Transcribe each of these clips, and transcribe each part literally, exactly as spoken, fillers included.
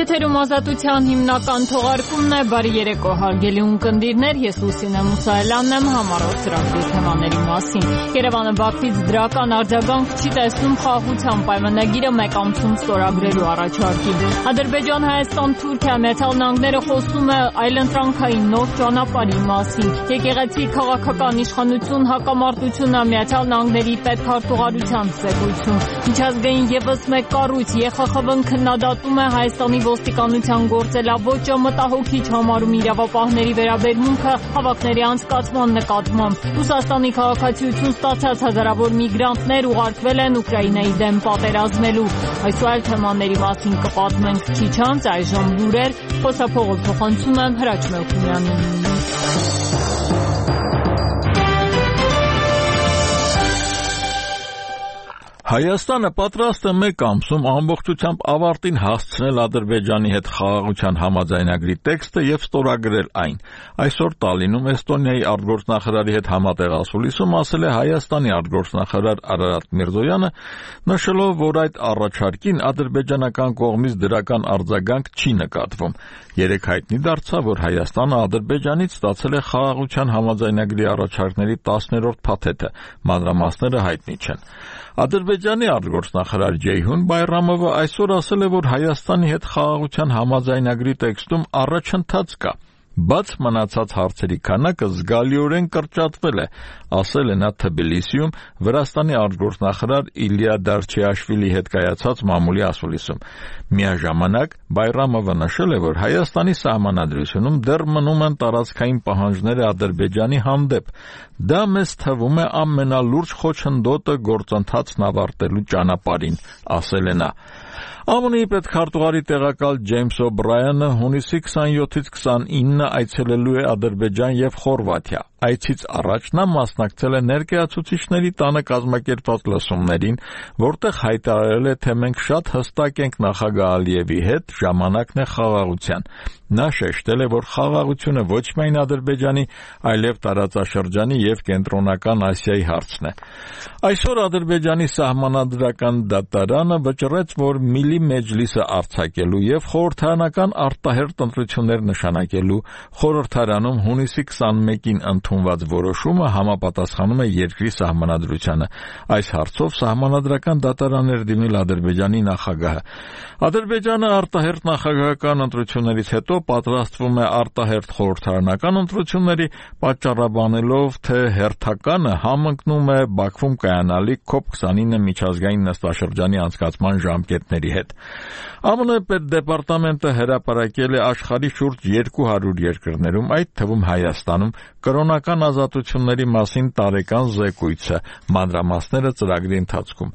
Եթերում ազատության հիմնական թողարկումն է, բարի երեկո հարգելի ունկնդիրներ, ես Լուսինե Մուսայելյանն եմ, համառոտ ծրագրի թեմաների մասին։ Երևանը Բաքվից դրական արձագանք չի տեսնում խաղաղության պայմանագիրը մեկ ամսում ստորագրելու առաջարկին։ Ադրբեջան-Հայաստան-Թուրքիա Միացյալ Նահանգները խոսում է այլընտրանքային նոր ճանապարհի մասին։ Եկեղեցի քաղաքական իշխանություն հակամարտությունը Միացյալ Նահանգների պետքարտուղարության զեկույցում։ Միջազգային ևս մեկ կառույց Ե Խ Խ Վ-ն քննադատում է Հայաստանի ոստիկանության գործելավոճը, մտահոգիչ համարում իրավապահների վերաբերմունքը հավաքների անցկացման նկատմամբ։ Ռուսաստանի քաղաքացիություն ստացած հազարավոր միգրանտներ ուղարկվել են Ուկրաինայի դեմ պատերազմելու։ Այս ու այլ թեմաների մասին կպատմենք քիչ անց, այժմ լուրեր, խոսափողը փոխանցում եմ Հրաչ Մելքոնյանին։ Հայաստանը պատրաստ է մեկ ամսում ամբողջությամբ ավարտին հասցնել Ադրբեջանի հետ խաղաղության համաձայնագրի տեքստը եւ ստորագրել այն։ Այսօր Տալինում Էստոնիայի արտգործնախարարի հետ համատեղ ասուլիսում ասել է Հայաստանի արտգործնախարար Արարատ Միրզոյանը, նշելով, որ այդ առաջարկին ադրբեջանական կողմից դրական արձագանք չի նկատվում։ Երեկ հայտնի դարձավ, որ Հայաստանը Ադրբեջանից ստացել է խաղաղության համաձայնագրի առաջարկների տասներորդ փաթեթը, մանրամասները հայտնի չեն։ Ադրբեջանի արտգործնախարար Ջեյհուն Բայրամովը այսօր ասել է, որ Հայաստանի հետ խաղաղության համաձայնագրի տեքստում առաջընթաց կա, բայց մնացած հարցերի քանակը զգալիորեն կրճատվել է, ասել է նա Թբիլիսիում Վրաստանի արտգործնախարար Իլիա Դարչիաշվիլի հետ կայացած մամուլի ասուլիսում։ Միաժամանակ Բայրամովը նշել է, որ Հայաստանի սահմանադրությունում դեռ մնում են տարածքային պահանջները Ադրբեջանի հանդեպ։ Դա մեզ թվում է ամենալուրջ խոչընդոտը գործընթացն ավարտելու ճանապարհին, ասել է նա։ Ամն Ի պետքարտուղարի տեղակալ Ջեյմս Օ'Բրայանը հունիսի քսանյոթից քսանինը այցելելու է Ադրբեջան եւ Խորվաթիա։ Այցից առաջ նա մասնակցել է ներկայացուցիչների տանը կազմակերպված լսումներին, որտեղ հայտարարել է, թե մենք շատ հստակ ենք նախագահ Ալիևի հետ, ժամանակն է խաղաղության։ Նա շեշտել է, որ խաղաղությունը ոչ միայն Ադրբեջանի, այլև տարածաշրջանի եւ Կենտրոնական Ասիայի հարցն է։ Այսօր Ադրբեջանի սահմանադրական դատարանը վճռեց, որ Միլի Մեջլիսը արձակելու եւ խորհրդարանական արտահերթ ընտրություններ նշանակելու խորհրդարանում հունիսի քսանմեկին ընդունված որոշումը համապատասխանում է երկրի սահմանադրությանը։ Այս հարցով սահմանադրական դատարան էր դիմել Ադրբեջանի նախագահը։ Ադրբեջանը արտահերթ նախագահական ընտրություններից հետո պատրաստվում է արտահերթ խորհրդարանական ընտրությունների, պատճառաբանելով, թե հերթականը համընկնում է Բաքվում կայանալիք քոփ քսանինը միջազգային նստաշրջանի անցկացման ժամկետների հետ։ ԱՄՆ պետդեպարտամենտը հրապարակել է աշխարհի շուրջ երկու հարյուր երկրներում, այդ թվում Հայաստանում, կրոնական ազատությունների մասին տարեկան զեկույցը, մանրամասները ծրագրի ընթացքում։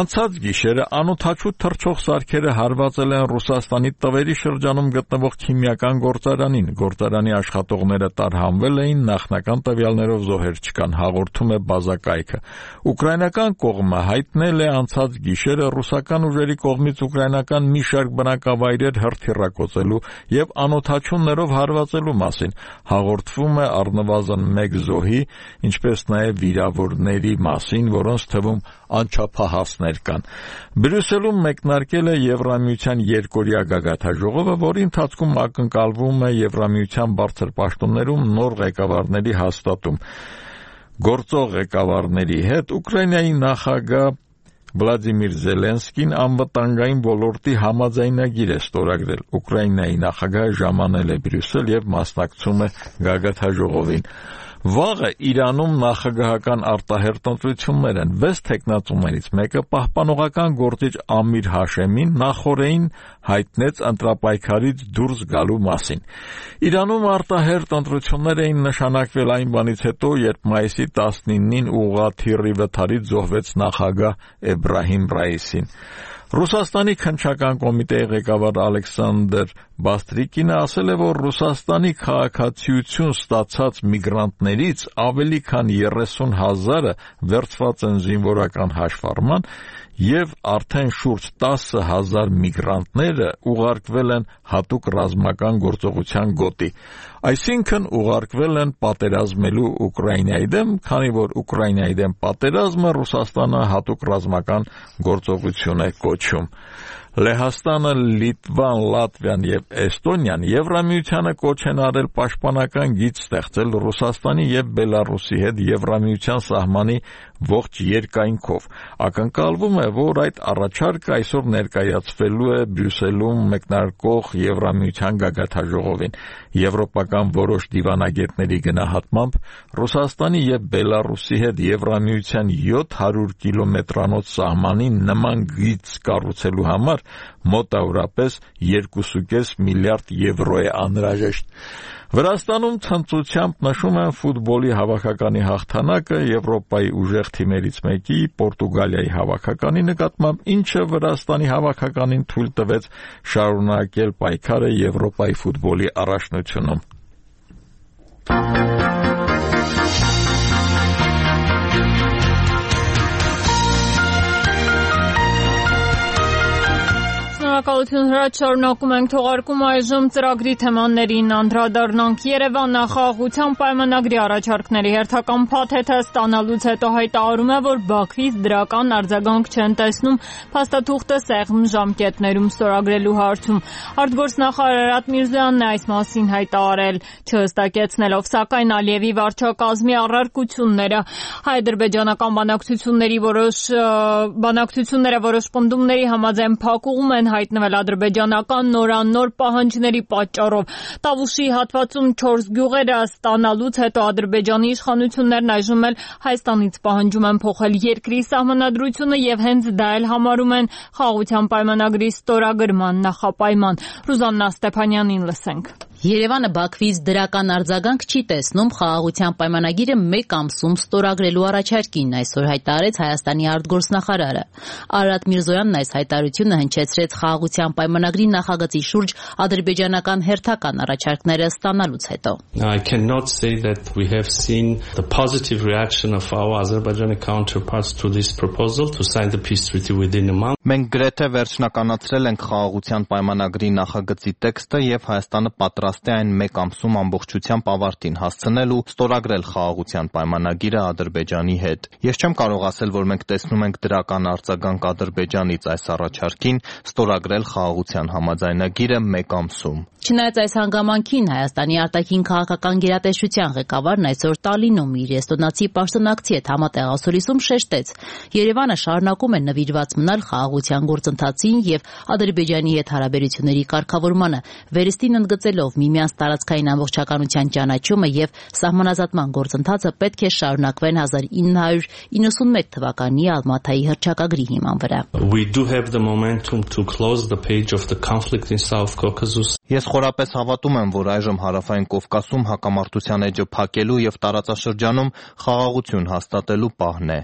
Անցած գիշերը անօդաչու թռչող սարքերը հարվածել են Ռուսաստանի Տվերի շրջանում գտնվող քիմիական գործարանին։ Գործարանի աշխատողները տարհանվել էին, նախնական տվյալներով զոհեր չկան, հաղորդում է բազակայքը։ Ուկրաինական կողմը հայտնել է անցած գիշերը ռուսական ուժերի կողմից ուկրաինական մի շարք բնակավայրեր հրթիռակոծելու եւ անօդաչուներով հարվածելու մասին։ Հաղորդվում է առնվազն մեկ զոհի, ինչպես նաեւ վիրավորների մասին, որոնց թվում անչափահասներ կան։ Բրյուսելում մեկնարկել է Եվրամիության երկօրյա գագաթաժողովը, որի ընթացքում ակնկալվում է Եվրամիության բարձր պաշտոններում նոր ղեկավարների հաստատում։ Գործող ղեկավարների հետ Ուկրաինայի նախագահ Վլադիմիր Զելենսկին անվտանգային ոլորտի համաձայնագիր է ստորագրել։ Ուկրաինայի նախագահը ժամանել է Բրյուսել եւ մասնակցում է գագաթաժողովին։ Վաղը Իրանում նախագահական արտահերթ ընտրություններ են։ Վեց թեկնածուներից մեկը պահպանողական գործիչ Ամիր Հաշեմին նախորդին հայտնեց ընտրապայքարից դուրս գալու մասին։ Իրանում արտահերթ ընտրություններ էին նշանակվել այն բանից հետո, երբ մայիսի տասնինին ուղղաթիռի վթարից զոհվեց նախագահ Էբրահիմ Ռայիսին։ Ռուսաստանի քննչական կոմիտեի ղեկավար Ալեքսանդր Բաստրիկինը ասել է, որ Ռուսաստանի քաղաքացիություն ստացած միգրանտներից ավելի քան երեսուն հազարը վերցված են զինվորական հաշվառման եւ արդեն շուրջ տասը հազար միգրանտները ուղարկվել են հատուկ ռազմական գործողության գոտի։ Այսինքն ուղարկվել են պատերազմելու Ուկրաինայի դեմ, քանի որ Ուկրաինայի դեմ պատերազմը Ռուսաստանը հատուկ ռազմական գործողություն է կոչում։ Լեհաստանը, Լիտվան, Լատվիան եւ Էստոնիան Եվրամիությանը կոչ են արել պաշտպանական գիծ ստեղծել Ռուսաստանի եւ Բելարուսի հետ Եվրամիության սահմանի ողջ երկայնքով։ Ակնկալվում է, որ այդ առաջարկը այսօր ներկայացվելու է Բրյուսելում մեկնարկող Եվրամիության գագաթնաժողովին։ Եվրոպական որոշ դիվանագետների գնահատմամբ Ռուսաստանի եւ Բելարուսի հետ Եվրամիության յոթ հարյուր կիլոմետրանոց սահմանի նման գիծ կառուցելու համար մոտավորապես երկու կόμμα պենս միլիարդ եվրո է անհրաժեշտ։ Վրաստանում ցնծությամբ նշում են ֆուտբոլի հավաքականի հաղթանակը Եվրոպայի ուժեղ թիմերից մեկի Պորտուգալիայի հավաքականի նկատմամբ, ինչը Վրաստանի հավաքականին թույլ տվեց շարունակել պայքարը Եվրոպայի ֆուտբոլի առաջնությունում։ Շնորհակալություն հրաչ, շարունակում ենք թողարկում այժմ ծրագրի թեմաներին անդրադառնանք։ Երևանը խաղաղության պայմանագրի առաջարկների հերթական փաթեթը ստանալուց հետո հայտարարում է, որ Բաքվից դրական արձագանք չեն տեսնում փաստաթուղթը սեղմ ժամկետներում ստորագրելու հարցում։ Արտգործնախարար Արարատ Միրզոյանն է այս մասին հայտարարել, չհստակեցնելով սակայն Ալիևի վարչակազմի առարկությունները։ Հայ-ադրբեջանական բանակցությունների որոշ բանակցությունները որոշ պնդումների համաձայն փակուղում են հայտնվել ադրբեջանական նորանոր պահանջների պատճառով։ Տավուշի հատվածում չորս գյուղերը ստանալուց հետո ադրբեջանի իշխանություններն այժմ էլ Հայաստանից պահանջում են փոխել երկրի սահմանադրությունը եւ հենց դա էլ համարում են խաղաղության պայմանագրի ստորագրման նախապայման։ Ռուզաննա Ստեփանյանին լսենք։ Երևանը Բաքվից դրական արձագանք չի տեսնում խաղաղության պայմանագիրը մեկ ամսում ստորագրելու առաջարկին, այսօր հայտարարեց Հայաստանի արտգործնախարարը։ Արարատ Միրզոյանն այս հայտարարությունը հնչեցրեց խաղաղության պայմանագրի նախագծի շուրջ ադրբեջանական հերթական առաջարկները ստանալուց հետո։ I cannot say that we have seen the positive reaction of our Azerbaijani counterparts to this proposal to sign the peace treaty within a month. Մենք գրեթե վերջնականացրել ենք խաղաղության պայմանագրի նախագծի տեքստը եւ Հայաստանը պատրաստ է այն մեկ ամսում ամբողջությամբ ավարտին հասցնել ու ստորագրել խաղաղության պայմանագիրը Ադրբեջանի հետ։ Ես չեմ կարող ասել, որ մենք տեսնում ենք դրական արձագանք Ադրբեջանից այս առաջարկին ստորագրել խաղաղության համաձայնագիրը մեկ ամսում։ Չնայած այս հանգամանքին Հայաստանի արտաքին քաղաքական գերատեսչության ղեկավարն այսօր Տալինում իր էստոնացի պաշտոնակցի հետ համատեղ ասուլիսում շեշտեց. Երևանը շարունակում է նվիրված մնալ խաղաղության գործընթացին եւ Ադրբեջանի հետ հարաբերությունների կարգավորմանը, վերստին ընդգծելով միմյանց տարածքային ամբողջականության ճանաչումը եւ սահմանազատման գործընթացը պետք է շարունակվեն հազար ինը հարյուր իննսունմեկ թվականի Ալմաթայի հռչակագրի հիման վրա։ We do have the momentum to close the page of the conflict in South Caucasus. Ես խորապես հավատում եմ, որ այժմ Հարավային Կովկասում հակամարտության էջը փակելու եւ տարածաշրջանում խաղաղություն հաստատելու պահն է։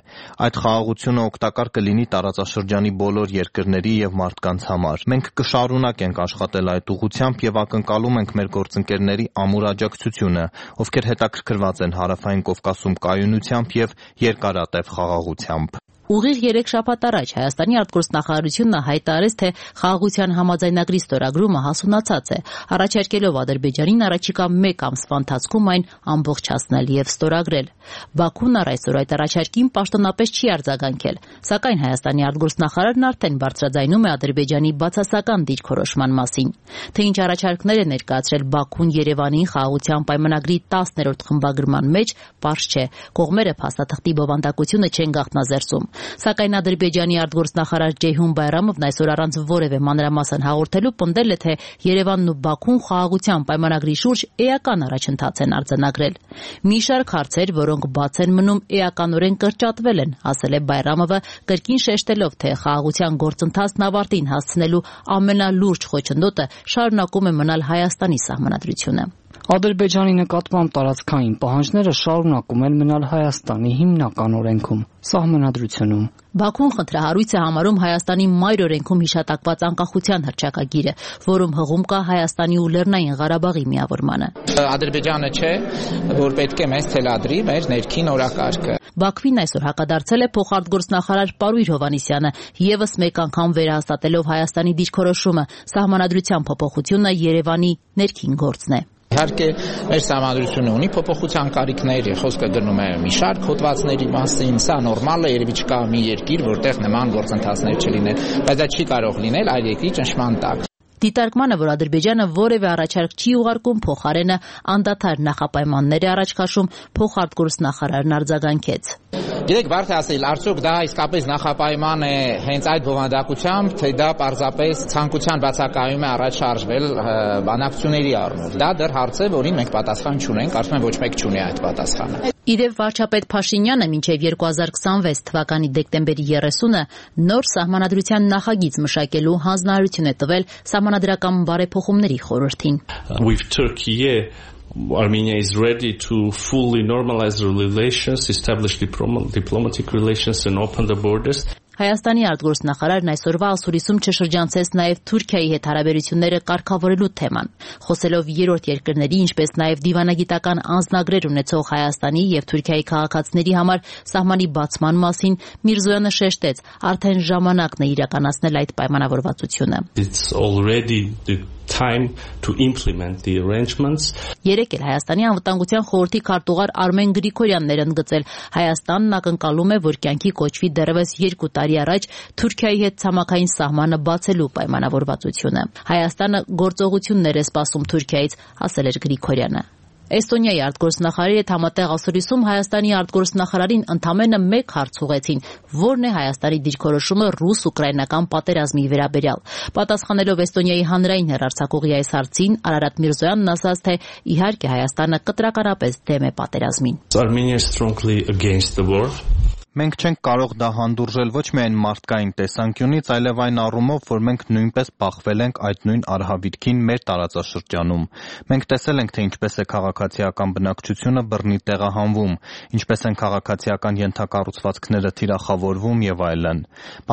Այդ խաղաղությունը օգտակար կլինի տարածաշրջանի բոլոր երկրների եւ մարդկանց համար։ Մենք կշարունակենք աշխատել այդ ուղղությամբ եւ ակնկալում ենք մեր գործընկերների ամուր աջակցությունը, ովքեր հետաքրքրված են Հարավային Կովկասում կայունությամբ եւ երկարատև խաղաղությամբ։ Ուղիղ երեք շաբաթ առաջ Հայաստանի արտգործնախարարությունը հայտարարեց, թե խաղաղության համաձայնագրի ստորագրումը հասունացած է, առաջարկելով Ադրբեջանին առաջիկա մեկ ամսվա ընթացքում այն ամբողջացնել եւ ստորագրել։ Բաքուն առ այսօր այդ առաջարկին պաշտոնապես չի արձագանքել, սակայն Հայաստանի արտգործնախարարն արդեն բարձրաձայնում է Ադրբեջանի բացասական դիրքորոշման մասին։ Թե ինչ առաջարկներ է ներկայացրել Բաքուն Երևանին խաղաղության պայմանագրի տասներորդ խմբագրման մեջ, պարզ չէ։ Կողմերը փաստաթղթի բովանդակությունը չեն գաղտնազերծում։ Սակայն Ադրբեջանի արտգործնախարար Ջեյհուն Բայրամովն այսօր առանց որևէ մանրամասն հաղորդելու պնդել է, թե Երևանն ու Բաքուն խաղաղության պայմանագրի շուրջ էական առաջընթաց են արձանագրել։ Մի շարք հարցեր, որոնք բաց են մնում, էականորեն կրճատվել են, ասել է Բայրամովը, կրկին շեշտելով, թե խաղաղության գործընթացն ավարտին հասցնելու ամենալուրջ խոչընդոտը շարունակում է մնալ Հայաստանի սահմանադրությունը։ Ադրբեջանի նկատմամբ տարածքային պահանջները շարունակում են մնալ Հայաստանի հիմնական օրենքում, սահմանադրությունում։ Բաքուն խնդրահարույց է համարում Հայաստանի մայր օրենքում հիշատակված անկախության հռչակագիրը, որում հղում կա Հայաստանի ու Լեռնային Ղարաբաղի միավորմանը։ Ադրբեջանը չէ, որ պետք է մեզ թելադրի մեր ներքին օրակարգը։ Բաքվին այսօր հակադարձել է փոխարտգործնախարար Պարույր Հովհաննիսյանը, եւս մեկ անգամ վերահաստատելով Հայաստանի դիրքորոշումը, սահմանադրության փոփոխությունը Երևանի ներքին գործն է։ Իհարկե, մեր սահմանադրությունը ունի փոփոխության կարիքներ, խոսքը գնում է մի շարք հոդվածների մասին, սա նորմալ է, երևի չկա մի երկիր, որտեղ նման գործընթացներ չլինեն, բայց դա չի կարող լինել այլ երկրի ճնշման տակ։ Դիտարկմանը, որ Ադրբեջանը որևէ առաջարկ չի ուղարկում, փոխարենը անդադար նախապայմաններ է առաջ քաշում, փոխարտգործնախարարն արձագանքեց։ Գիտեք, բարդ է ասել, արդյոք դա իսկապես նախապայման է հենց այդ բովանդակությամբ, թե դա պարզապես ցանկության բացակայում է առաջ շարժվել բանակցությունների առումով։ Դա դեռ հարց է, որին մենք պատասխան չունենք, կարծում եմ ոչ մեկ չունի այդ պատասխանը։ Իդեպ վարչապետ Փաշինյանը մինչև երկու հազար քսանվեց թվականի դեկտեմբերի երեսունը նոր սահմանադրության նախագիծ մշակելու հանձնարարություն է տվել սահմանադրական բարեփոխումների խորհրդին։ With Turkey, Armenia is ready to fully normalize relations, establish diplomatic relations and open the borders. Հայաստանի արտգործնախարարն այսօրվա ասուրիսում չշրջանցեց նաև Թուրքիայի հետ հարաբերությունները կարգավորելու թեման։ Խոսելով երրորդ երկրների, ինչպես նաև դիվանագիտական անձնագրեր ունեցող Հայաստանի եւ Թուրքիայի քաղաքացիների համար սահմանի բացման մասին, Միրզոյանը շեշտեց, արդեն ժամանակն է իրականացնել այդ պայմանավորվածությունը։ It's already the time to implement the arrangements. Երեկ էլ Հայաստանի անվտանգության խորհրդի քարտուղար Արմեն Գրիգորյանն էր ընդգծել, Հայաստանն ակնկալում է, որ կյանքի կոչվի դեռևս երկու տարի առաջ Թուրքիայի հետ ցամաքային սահմանը բացելու պայմանավորվածությունը։ Հայաստանը գործողություններ է սպասում Թուրքիայից, ասել էր Գրիգորյանը։ Էստոնիայի արտգործնախարարի հետ համատեղ ասորիսում Հայաստանի արտգործնախարարին ընդամենը մեկ հարց ուղեցին, որն է Հայաստանի դիրքորոշումը ռուս-ուկրաինական պատերազմի վերաբերյալ։ Պատասխանելով Էստոնիայի հանրային հեռարձակողի այս հարցին, Արարատ Միրզոյանն ասաց, թե իհարկե Հայաստանը կտրականապես դեմ է պատերազմին։ Armenia is strongly against the war. Մենք չենք կարող դա հանդուրժել ոչ միայն մարդկային տեսանկյունից, այլև այն առումով, որ մենք նույնպես բախվել ենք այդ նույն արհավիրքին մեր տարածաշրջանում։ Մենք տեսել ենք, թե ինչպես է քաղաքացիական բնակչությունը բռնի տեղահանվում, ինչպես են քաղաքացիական ենթակառուցվածքները թիրախավորվում եւ այլն։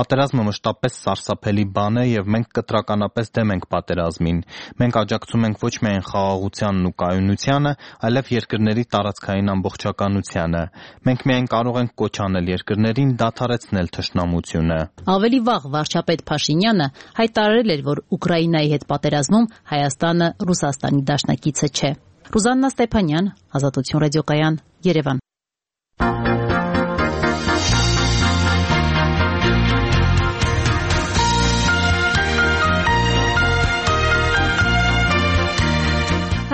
Պատերազմը մշտապես սարսափելի բան է եւ մենք կտրականապես դեմ ենք պատերազմին։ Մենք աջակցում ենք ոչ միայն խաղաղությանն ու կայունությանը, այլև երկրների տարածքային ամբողջականությանը։ Մենք միայն կարող ենք կոչ անել երկրներին դադարեցնել թշնամությունը։ Ավելի վաղ վարչապետ Փաշինյանը հայտարարել էր, որ Ուկրաինայի հետ պատերազմում Հայաստանը Ռուսաստանի դաշնակիցը չէ։ Ռուզաննա Ստեփանյան, Ազատություն ռադիոկայան, Երևան։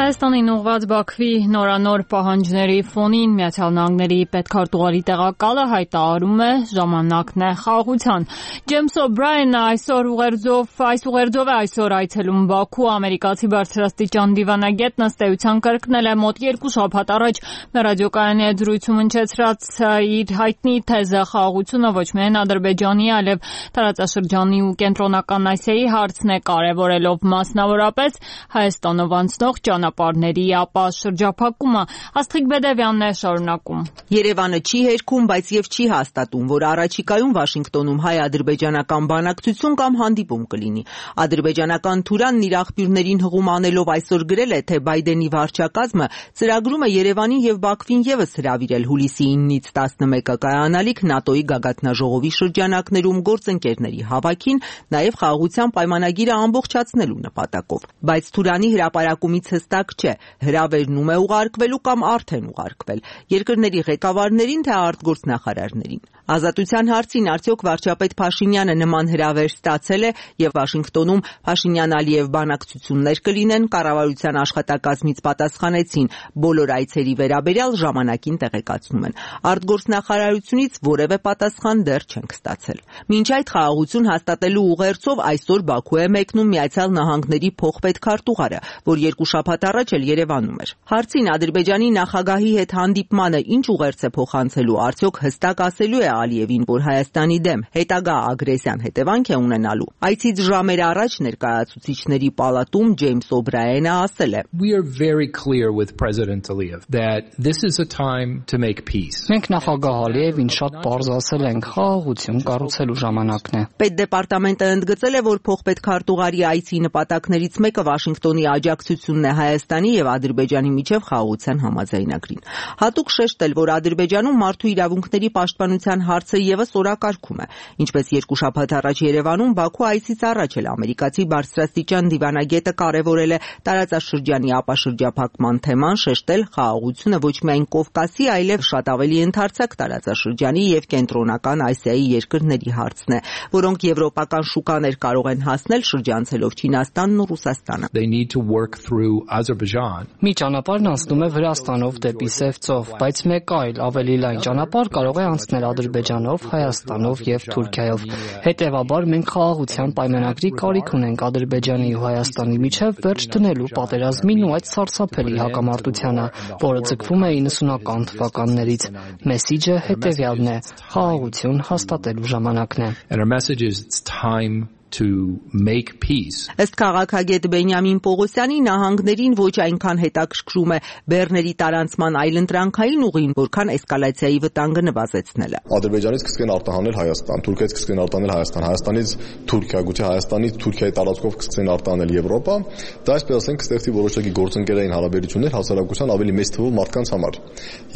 Հայաստանին ուղղված Բաքվի նորանոր պահանջների ֆոնին Միացյալ Նահանգների պետքարտուղարի տեղակալը հայտարարում է ժամանակն է խաղաղության։ Ջեյմս Օ'Բրայենը այսօր ուղերձով այս ուղերձով է այսօր այցելում Բաքու, ամերիկացի բարձրաստիճան դիվանագետն ըստ էության կրկնել է մոտ երկու շաբաթ առաջ մեր ռադիոկայանի հետ զրույցում հնչեցրած իր հայտնի թեզը խաղաղությունը ոչ միայն Ադրբեջանի, այլև տարածաշրջանի ու կենտրոնական Ասիայի հարցն է, կարևորելով մասնավորապես Հայաստանով անցնող ճանապարհների ապա շրջափակումը։ Աստղիկ Բեդևյանն է շարունակում։ Երևանը չի հերքում, բայց եւ չի հաստատում, որ առաջիկայում Վաշինգտոնում հայ-ադրբեջանական բանակցություն կամ հանդիպում կլինի։ Ադրբեջանական Թուրանն իր աղբյուրներին հղում անելով այսօր գրել է, թե Բայդենի վարչակազմը ծրագրում է Երևանին եւ Բաքվին եւս հրավիրել հուլիսի իննից տասնմեկը կայանալիք ՆԱՏՕ-ի գագաթնաժողովի շրջանակներում գործընկերների հավաքին, նաեւ խաղաղության պայմանագիրը ամբողջացնելու նպատակով։ Բայց Թուրանի հրապարակումից հստակ չէ, հրավերն ում է ուղարկվելու կամ արդեն ուղարկվել, երկրների ղեկավարներին թե արտգործնախարարներին։ Ազատության հարցին արդյոք վարչապետ Փաշինյանը նման հրավեր ստացել է եւ Վաշինգտոնում Փաշինյան-Ալիև բանակցություններ կլինեն, կառավարության աշխատակազմից պատասխանեցին, բոլոր այցերի վերաբերյալ ժամանակին տեղեկացնում են։ Արտգործնախարարությունից որևէ պատասխան դեռ չենք ստացել։ Մինչ այդ խաղաղություն հաստատելու ուղերձով այսօր Բաքու է մեկնում Միացյալ Նահանգների փոխպետքարտուղարը, որ երկու շաբաթ առաջ էլ Երևանում էր։ Հարցին Ադրբեջանի նախագահի հետ հանդիպմանը ինչ ուղերձ է փոխանցելու, արդյոք հստակ ասելու է Ալիևին, որ Հայաստանի դեմ հետագա ագրեսիան հետևանք է ունենալու։ Այցից ժամեր առաջ ներկայացուցիչների պալատում Ջեյմս Օ'Բրայենը ասել է. We are very clear with President Aliyev that this is a time to make peace. Մենք նախագահ Ալիևին շատ պարզ ասել ենք, խաղաղություն կառուցելու ժամանակն է։ Պետդեպարտամենտը ընդգծել է, որ փոխպետքարտուղարի այցի նպատակներից մեկը Վաշինգտոնի աջակցությունն է Հայաստանի եւ Ադրբեջանի միջև խաղաղության համաձայնագրին։ Հատուկ շեշտել, որ Ադրբեջանում մարդու իրավունքների պաշտպանության կառավարության հարցը եւս օրակարգում է։ Ինչպես երկու շաբաթ առաջ Երևանում Բաքու այցից առաջ էլ ամերիկացի բարձրաստիճան դիվանագետը կարևորել է տարածաշրջանի ապաշրջափակման թեման, շեշտել խաղաղությունը ոչ միայն Կովկասի, այլև շատ ավելի ընդարձակ տարածաշրջանի եւ կենտրոնական Ասիայի երկրների հարցն է, որոնք եվրոպական շուկաներ կարող են հասնել շրջանցելով Չինաստանն ու Ռուսաստանը։ They need to work through Azerbaijan. Մի ճանապարհն անցնում է Վրաստանով դեպի Սև ծով, բայց մեկ այլ ավելի լայն ճանապարհ կարող է անցնել Ադրբեջանով, Հայաստանով եւ Թուրքիայով։ Հետևաբար մենք խաղաղության պայմանագրի կարիք ունենք Ադրբեջանի ու Հայաստանի միջև վերջ դնելու պատերազմին ու այդ սարսափելի հակամարտությանը, որը ձգվում է իննսունական թվականներից։ Մեսիջը հետևյալն է. խաղաղություն հաստատելու ժամանակն է։ And our message is it's time to make peace. Ըստ քաղաքագետ Բենյամին Պողոսյանի նահանգներին ոչ այնքան հետաքրքրում է բեռների տարանցման այլընտրանքային ուղին, որքան էսկալացիայի վտանգը նվազեցնելը։ Ադրբեջանից կսկեն արտահանել Հայաստան, Թուրքիայից կսկեն արտահանել Հայաստան, Հայաստանից Թուրքիա, գուցե Հայաստանից Թուրքիայի տարածքով կսկեն արտահանել Եվրոպա, դա այսպես ասենք կստեղծի որոշակի գործընկերային հարաբերություններ հասարակության ավելի մեծ թվով մարդկանց համար։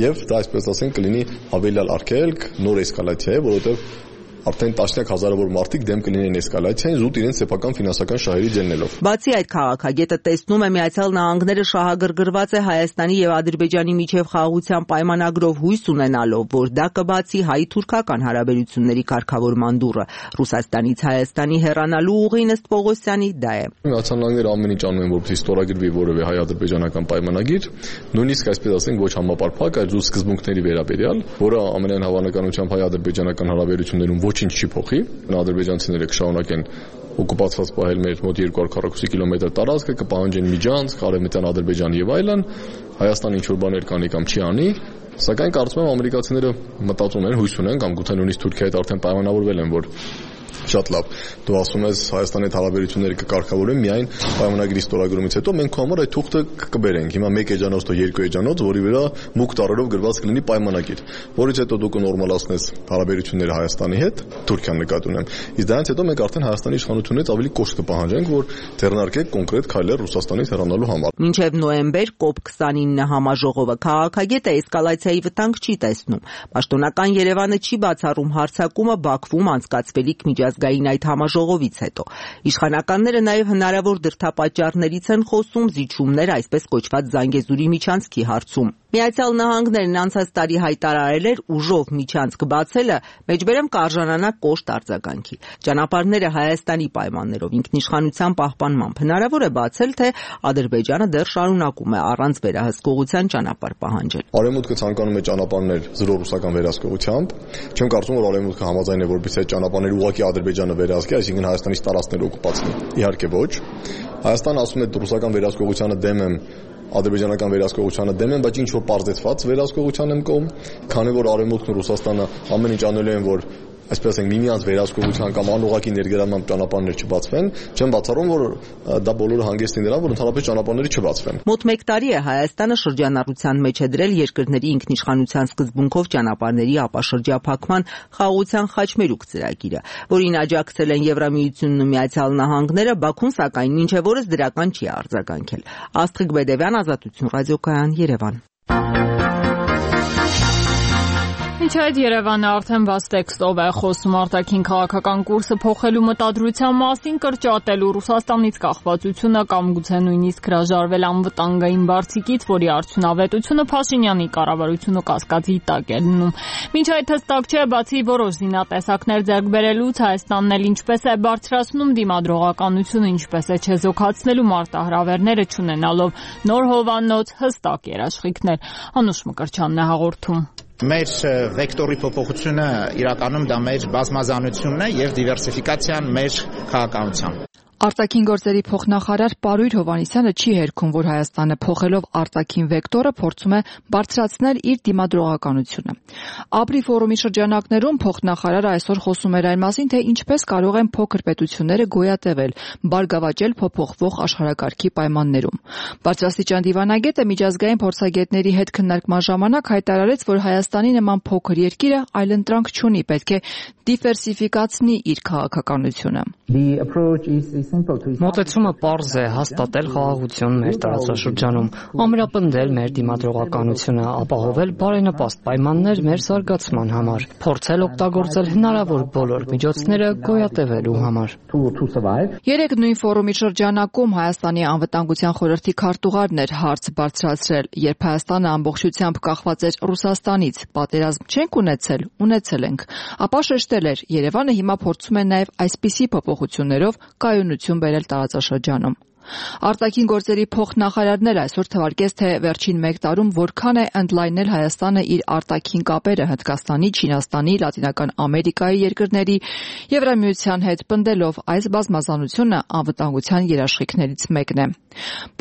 Եվ դա այսպես ասենք կլինի ավելի արգելք, նոր էսկալացիա է, որովհետև արդեն տասնյակ հազարավոր մարդիկ դեմ կլինեն էսկալացիային զուտ իրենց սեփական ֆինանսական շահերի ջեննելով։ Բացի այդ, քաղաքագետը տեսնում է Միացյալ Նահանգները շահագրգռված է Հայաստանի եւ Ադրբեջանի միջև խաղաղության պայմանագրով հույս ունենալով, որ դա կբացի հայ-թուրքական հարաբերությունների կարգավորման դուռը։ Ռուսաստանից Հայաստանի հեռանալու ուղին ըստ Պողոսյանի դա է։ Միացյալ Նահանգները ամեն ինչ անում են, որպեսզի ստորագրվի որևէ հայ-ադրբեջանական պայմանագիր, նույնիսկ այսպես ասենք ոչ համապարփակ, այլ զուտ սկզբունքների վերաբերյալ, որը ամենայն հավանականությամբ հայ-ադրբեջանական հարաբերություններում ոչինչ չի փոխի։ Ադրբեջանցիները կշարունակեն օկուպացված պահել մեր մոտ երկու հարյուր քառակուսի կիլոմետր տարածքը, կպահանջեն միջանցք, Արևմտյան Ադրբեջան եւ այլն։ Հայաստանը ինչ որ բաներ կանի կամ չի անի, սակայն կարծում եմ ամերիկացիները մտածում են, հույս ունեն կամ գուցե նույնիսկ Թուրքիայի հետ արդեն պայմանավորվել են, որ շատ լավ։ Դու ասում ես Հայաստանի հետ հարաբերությունները կկարգավորեն միայն պայմանագրի ստորագրումից հետո մենք քո համար այդ թուղթը կբերենք։ Հիմա մեկ էջանոց թե երկու էջանոց, որի վրա մուգ տառերով գրված կլինի պայմանագիր, որից հետո դու կնորմալացնես հարաբերությունները Հայաստանի հետ, Թուրքիան նկատի ունեմ։ Իսկ դրանից հետո մենք արդեն Հայաստանի իշխանությունից ավելի կոշտ կպահանջենք, որ ձեռնարկեք կոնկրետ քայլեր Ռուսաստանից հեռանալու համար։ Մինչև նոյեմբեր կոպ քսանինը համաժողովը քաղաքագետը էսկալացիայի վտանգ չի տեսնում։ Պաշտոնական Երևանը չի բացառում հարձակումը Բաքվում անցկացվելիք միջազգային այդ համաժողովից հետո։ Իշխանականները նաև հնարավոր դրդապատճառներից են խոսում զիջումներ այսպես կոչված Զանգեզուրի միջանցքի հարցում։ Միացյալ Նահանգներն անցած տարի հայտարարել էր ուժով միջանցք բացելը մեջբերեմ կարժանանա կոշտ արձագանքի։ Ճանապարհները Հայաստանի պայմաններով ինքնիշխանության պահպանմամբ հնարավոր է բացել, թե Ադրբեջանը դեռ շարունակում է առանց վերահսկողության ճանապարհ պահանջել։ Արևմուտքը ցանկանում է ճանապարհներ զրո ռուսական վերահսկողությամբ։ Չեմ կարծում, որ Արևմուտքը համաձայն է, որպեսզի այդ ճանապարհները ուղղակի Ադրբեջանը վերահսկի, այսինքն Հայաստանից տարածքներ օկուպացնի։ Իհարկե ոչ։ Հայաստանը ասում է ռուսական վերահսկողությանը դեմ եմ, ադրբեջանական վերահսկողությանը դեմ են, բայց ինչ որ պարզեցված վերահսկողության եմ կողմ, քանի որ Արևմուտքն ու Ռուսաստանը ամեն ինչ անելու են, որ այսպես ասենք միմյանց վերահսկողության կամ անուղղակի ներգրավման ճանապարհներ չբացվեն, չեմ բացառում, որ դա բոլորը հանգեցնի նրան, որ ընդհանրապես ճանապարհները չբացվեն։ Մոտ մեկ տարի է Հայաստանը շրջանառության մեջ է դրել երկրների ինքնիշխանության սկզբունքով ճանապարհների ապաշրջափակման խաղաղության խաչմերուկ ծրագիրը, որին աջակցել են Եվրամիությունն ու Միացյալ Նահանգները, Բաքուն սակայն մինչև օրս դրական չի արձագանքել։ Աստղիկ Բեդևյան, Ազատություն ռադիոկայան, Երևան։ Մինչ այդ Երևանը արդեն բաց տեքստով է խոսում արտաքին քաղաքական կուրսը փոխելու մտադրության մասին, կրճատելու Ռուսաստանից կախվածությունը կամ գուցե նույնիսկ հրաժարվել անվտանգային բարձիկից, որի արդյունավետությունը Փաշինյանի կառավարությունը կասկածի տակ է լինում։ Մինչ այդ հստակ չէ, բացի որոշ զինատեսակներ ձեռք բերելուց, Հայաստանն էլ ինչպես է բարձրացնում դիմադրողականությունը, ինչպես է չեզոքացնելու մարտահրավերները չունենալով նոր հովանոց, հստակ երաշխիքներ։ Անուշ Մկրտչյանն է հաղորդում։ Մեր վեկտորի փոփոխությունը իրականում դա մեր բազմազանությունն է եւ դիվերսիֆիկացիան մեր քաղաքականության։ Արտաքին գործերի փոխնախարար Պարույր Հովհաննիսյանը չի հերքում, որ Հայաստանը փոխելով արտաքին վեկտորը փորձում է բարձրացնել իր դիմադրողականությունը։ Աբրի ֆորումի շրջանակներում փոխնախարարը այսօր խոսում էր այն մասին, թե ինչպես կարող են փոքր պետությունները գոյատևել, բարգավաճել փոփոխվող աշխարհակարգի պայմաններում։ Բարձրաստիճան դիվանագետը միջազգային փորձագետների հետ քննարկման ժամանակ հայտարարեց, որ Հայաստանի նման փոքր երկիրը այլընտրանք չունի, պետք է դիվերսիֆիկացնի իր քաղաքականությունը։ Մոտեցումը պարզ է՝ հաստատել խաղաղություն մեր տարածաշրջանում, ամրապնդել մեր դիմադրողականությունը, ապահովել բարենպաստ պայմաններ մեր զարգացման համար, փորձել օգտագործել հնարավոր բոլոր միջոցները գոյատևելու համար։ Երեք նույն ֆորումի շրջանակում Հայաստանի անվտանգության խորհրդի քարտուղարն էր հարց բարձրացրել, երբ Հայաստանը ամբողջությամբ կախված էր Ռուսաստանից, պատերազմ չենք ունեցել, ունեցել ենք, ապա շեշտել էր, Երևանը հիմա փորձում է նաև այսպիսի փոփոխություններով կայունություն բերել տարածաշրջանում։ Արտաքին գործերի փոխնախարարն էլ այսօր թվարկեց, թե վերջին մեկ տարում որքան է ընդլայնել Հայաստանը իր արտաքին կապերը Հնդկաստանի, Չինաստանի, Լատինական Ամերիկայի երկրների, Եվրամիության հետ պնդելով այս բազմազանությունը անվտանգության երաշխիքներից մեկն է։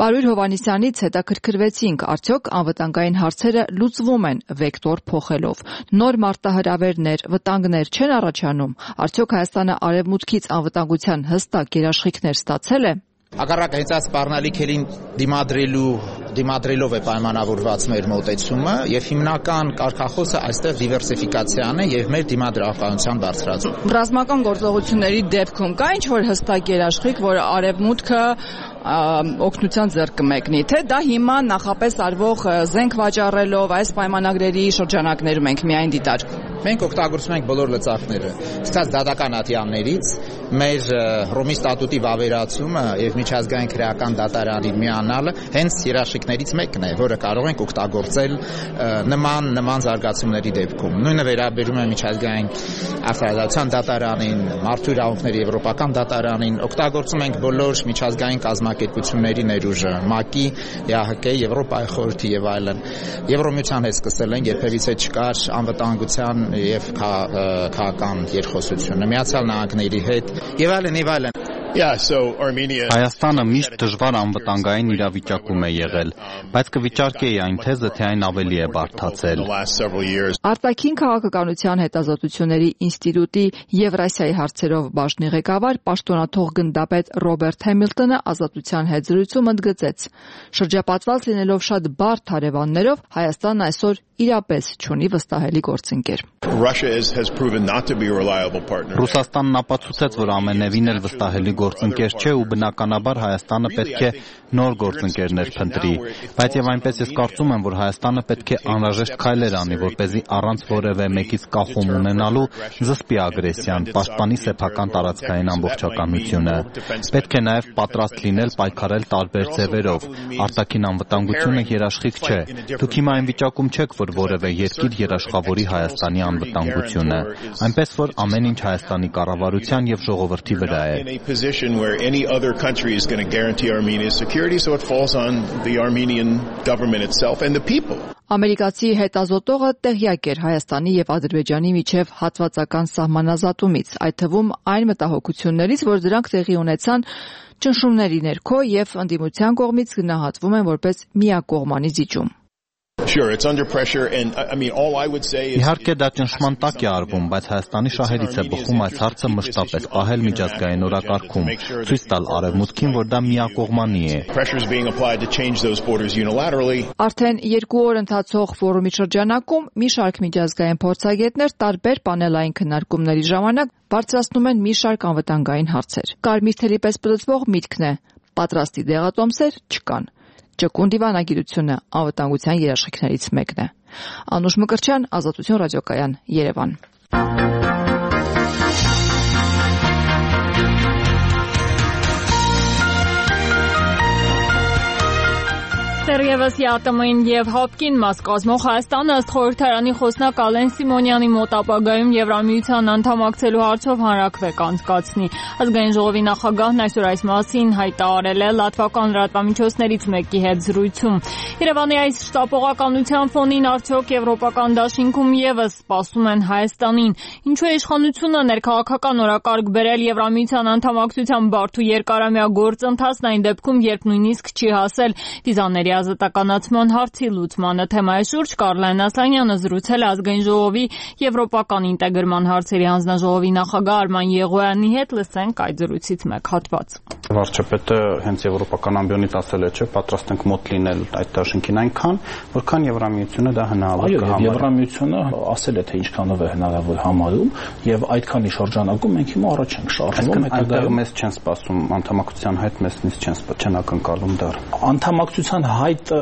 Պարույր Հովհաննիսյանից հետաքրքրվեցինք, արդյոք անվտանգային հարցերը լուծվում են վեկտոր փոխելով, նոր մարտահրավերներ, վտանգներ չեն առաջանում, արդյոք Հայաստանը արևմուտքից անվտանգության հստակ երաշխիքներ ստացել է։ Հակառակ հենց այս սպառնալիքերին դիմադրելու դիմադրելով է պայմանավորված մեր մոտեցումը եւ հիմնական կարգախոսը այստեղ դիվերսիֆիկացիան է եւ մեր դիմադրականության բարձրացումը։ Ռազմական գործողությունների դեպքում կա ինչ-որ հստակ երաշխիք, որ արևմուտքը օգնության ձեռք կմեկնի, թե դա հիմա նախապես արվող զենք վաճառելով այս պայմանագրերի շրջանակներում ենք միայն դիտարկում։ Մենք օգտագործում ենք բոլոր լծակները, սկսած դատական ատյաններից, մեր Հռոմի ստատուտի վավերացումը եւ միջազգային քրեական դատարանի միանալը հենց երաշխիքներից մեկն է, որը կարող ենք օգտագործել նման նման զարգացումների դեպքում։ Նույնը վերաբերում է միջազգային արդարադատության դատարանին, մարդու իրավունքների եվրոպական դատարանին, օգտագործում ենք բոլոր միջազգային կազմակերպությունների ներուժը, ՄԱԿ-ի, ԵԱՀԿ-ի, Եվրոպայի խորհրդի եւ այլն։ Եվրոմիության հետ սկսել են, երբևիցե չկար անվտանգության եւ քաղաքական երկխոսությունը, Միացյալ Նահանգների հետ եւ այլն եւ այլն։ Yeah, so Armenia Հայաստանը միշտ դժվար անվտանգային իրավիճակում է եղել, բայց կվիճարկեի այն թեզը, թե այն ավելի է բարդացել։ Արտաքին քաղաքականության հետազոտությունների ինստիտուտի Եվրասիայի հարցերով բաժնի ղեկավար պաշտոնաթող գնդապետ Ռոբերտ Հեմիլտոնը Ազատության հետ զրույցում ընդգծեց. շրջապատված լինելով շատ բարդ հարևաններով, Հայաստանն այսօր իրապես չունի վստահելի գործընկեր։ Ռուսաստանն ապացուցեց, որ ամենևին էլ վստահելի գործընկեր չէ ու բնականաբար Հայաստանը պետք է նոր գործընկերներ փնտրի, բայց եւ այնպես ես կարծում եմ, որ Հայաստանը պետք է անհրաժեշտ քայլեր անի, որպեսզի առանց որևէ մեկից կախում ունենալու զսպի ագրեսիան, պաշտպանի սեփական տարածքային ամբողջականությունը։ Պետք է նաեւ պատրաստ լինել պայքարել տարբեր ձևերով։ Արտաքին անվտանգությունը երաշխիք չէ։ Դուք հիմա այն վիճակում չեք, որ որևէ երկիր երաշխավորի Հայաստանի անվտանգությունը, այնպես որ ամեն ինչ Հայաստանի կառավարության եւ ժողովրդի վրա է։ Ամերիկացի հետազոտողը տեղյակ էր Հայաստանի եւ Ադրբեջանի միջև հատվածական սահմանազատումից, այդ թվում այն մտահոգություններից, որ դրանք տեղի ունեցան ճնշումների ներքո եւ ընդդիմության կողմից գնահատվում են որպես միակողմանի զիջում։ Իհարկե դա ճնշման տակ է արվում, բայց Հայաստանի շահերից է բխում այս հարցը մշտապես պահել միջազգային օրակարգում, ցույց տալ արևմուտքին, որ դա միակողմանի է։ Արդեն երկու օր ընթացող ֆորումի շրջանակում մի շարք միջազգային փորձագետներ տարբեր պանելային քննարկումների ժամանակ բարձրացնում են մի շարք անվտանգային հարցեր։ Կարմիր թելի պես պլծվող միտքն է՝ պատրաստի դեղատոմսեր չկան։ Ճկուն դիվանագիտությունը անվտանգության երաշխիքներից մեկն է։ Անուշ Մկրտչյան, Ազատություն ռադիոկայան, Երևան։ Դեռևս ԵԱՏՄ-ին եւ ՀԱՊԿ-ին մաս կազմող Հայաստանը ըստ խորհրդարանի խոսնակ Ալեն Սիմոնյանի մոտ ապագայում Եվրամիության անդամակցելու հարցով հանրաքվե կանցկացնի։ Ազգային ժողովի նախագահն այսօր այս մասին հայտարարել է լատվական լրատվամիջոցներից մեկի հետ զրույցում։ Երևանի այս շտապողականության ֆոնին արդյոք եվրոպական դաշինքում եւս սպասում են Հայաստանին։ Ինչու է իշխանությունը ներքաղաքական օրակարգ բերել Եվրամիության անդամակցության բարդ ու երկարամյա գործընթացն այն դեպքում, երբ նույնիսկ չի հասել վիզաների ազատ բացասականացման հարցի լուծմանը։ Թեմայի շուրջ Կարլեն Ասլանյանը զրուցել է Ազգային ժողովի եվրոպական ինտեգրման հարցերի հանձնաժողովի նախագահ Արման Եղոյանի հետ, լսենք այդ զրույցից մեկ հատված։ Վարչապետը հենց եվրոպական ամբիոնից ասել է, չէ, պատրաստ ենք մոտ լինել այդ դաշինքին այնքան, որքան Եվրամիությունը դա հնարավոր կհամարի։ Եվրամիությունը ասել է, թե ինչքանով է հնարավոր համարում, եւ այդքանի շրջանակում մենք հիմա առաջ ենք շարժվում, այդտեղ մեզ չեն սպասում անդամակցության հայտ, մեզ նույնիսկ չեն չեն ակնկալում դեռ։ Անդամակցության հայտը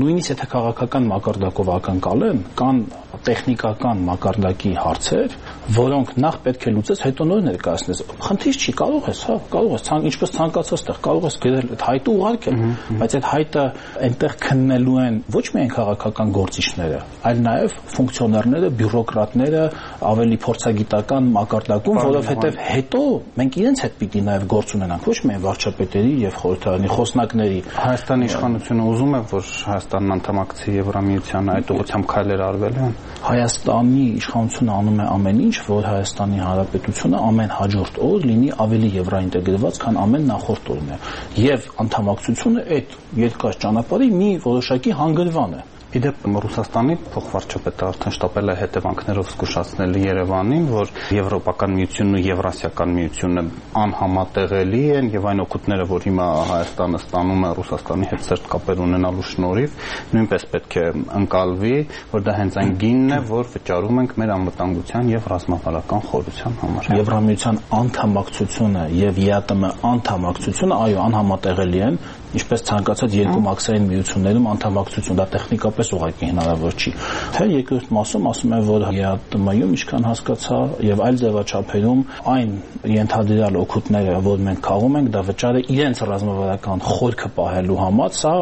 նույնիսկ եթե քաղաքական մակարդակով ակնկալեն, կան տեխնիկական մակարդակի հարցեր, որոնք նախ պետք է լուծես, հետո նոր ներկայացնես։ Խնդիր չի, կարող ես, հա, կարող ես, ինչպես ցանկացած տեղ, կարող ես գրել այդ հայտը ուղարկել, բայց այդ հայտը այնտեղ քննելու են ոչ միայն քաղաքական գործիչները, այլ նաև ֆունկցիոներները, բյուրոկրատները, ավելի փորձագիտական մակարդակում, որովհետև հետո մենք իրենց հետ պիտի նաև գործ ունենանք, ոչ միայն վարչապետերի եւ խորհրդարանի խոսնակների։ Հայաստանի իշխանությունը ուզում է, որ Հայաստանն անդամակցի Եվրամիությանը, այդ ուղղությամբ քայլեր արվել են։ Հայաստանի իշխանությունը անում է ամեն ինչ, որ Հայաստանի Հանրապետությունը ամեն հաջորդ օր լինի ավելի եվրոինտեգրված, քան ամեն նախորդ օրն է։ Եվ անդամակցությունը այդ երկար ճանապարհի մի որոշակի հանգրվան է։ Իդեպ Ռուսաստանի փոխվարչապետը արդեն շտապել է հետևանքներով զգուշացնել Երևանին, որ Եվրոպական միությունն ու Եվրասիական միությունը անհամատեղելի են եւ այն օգուտները, որ հիմա Հայաստանը ստանում է Ռուսաստանի հետ սերտ կապեր ունենալու շնորհիվ, նույնպես պետք է ընկալվի, որ դա հենց այն գինն է, որ վճարում ենք մեր անվտանգության եւ ռազմավարական խորության համար։ Եվրամիության անդամակցությունը եւ ԵԱՏՄ անդամակցությունը, այո, անհամատեղելի են, ինչպես ցանկացած երկու մաքսային միություններում անդամակցություն, դա տեխնիկապես ուղղակի հնարավոր չի։ Թե երկրորդ մասում ասում են, որ ԵԱՏՄ-ում ինչքան հասկացա եւ այլ ձևաչափերում այն ենթադրյալ օգուտները, որ մենք քաղում ենք, դա վճարը իրենց ռազմավարական խորքը պահելու համար, սա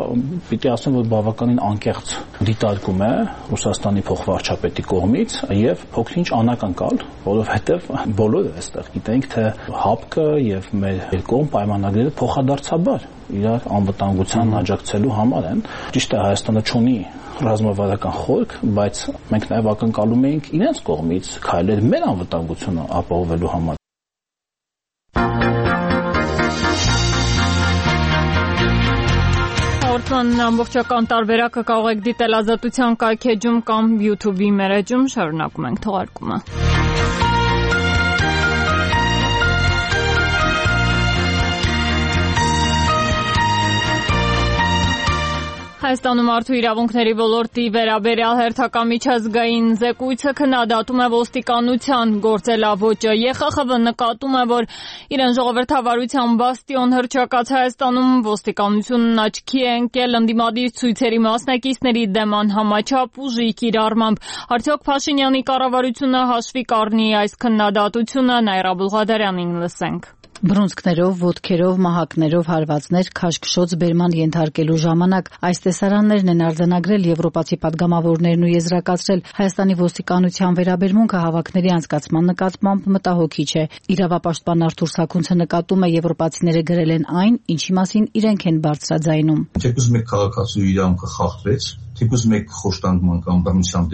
պիտի ասեմ, որ բավականին անկեղծ դիտարկում է Ռուսաստանի փոխվարչապետի կողմից եւ փոքրինչ անակնկալ, որովհետեւ բոլորը այստեղ գիտենք, թե հապկը եւ մեր երկկողմ պայմանագրերը փոխադարձաբար իրար անվտանգության աջակցելու համար են։ Ճիշտ է, Հայաստանը չունի ռազմավարական խորք, բայց մենք նաև ակնկալում էինք իրենց կողմից քայլեր մեր անվտանգությունը ապահովելու համար։ Հաղորդման ամբողջական տարբերակը կարող եք դիտել Ազատության կայքեջում կամ YouTube-ի մեր էջում, շարունակում ենք թողարկումը։ Հայաստանում մարդու իրավունքների ոլորտի վերաբերյալ հերթական միջազգային զեկույցը քննադատում է ոստիկանության գործելավոճը։ ԵԽԽՎ նկատում է, որ իրեն ժողովրդավարության բաստիոն հռչակած Հայաստանում ոստիկանությունն աչքի է ընկել ընդդիմադիր ցույցերի մասնակիցների դեմ անհամաչափ ուժի կիրառմամբ։ Արդյոք Փաշինյանի կառավարությունը հաշվի կառնի այս քննադատությունը, Նաիրա Բուլղադարյանին լսենք։ Բռունցքներով, ոտքերով, մահակներով հարվածներ քաշքշոց բերման ենթարկելու ժամանակ այս տեսարաններն են արձանագրել եվրոպացի падգամավորներն ու եզրակացրել Հայաստանի ոստիկանության վերաբերմունքը հավաքների անցկացման նկատմամբ մտահոգիչ է։ Իրավապաշտպան Արթուր Սաքունցը նկատում է եվրոպացիները գրել են այն, ինչի մասին իրենք են բարձրաձայնում։ Թեկուզ մեկ քաղաքացու իրավունքը խախտվեց, թեկուզ մեկ խոշտանգման կամ բռնության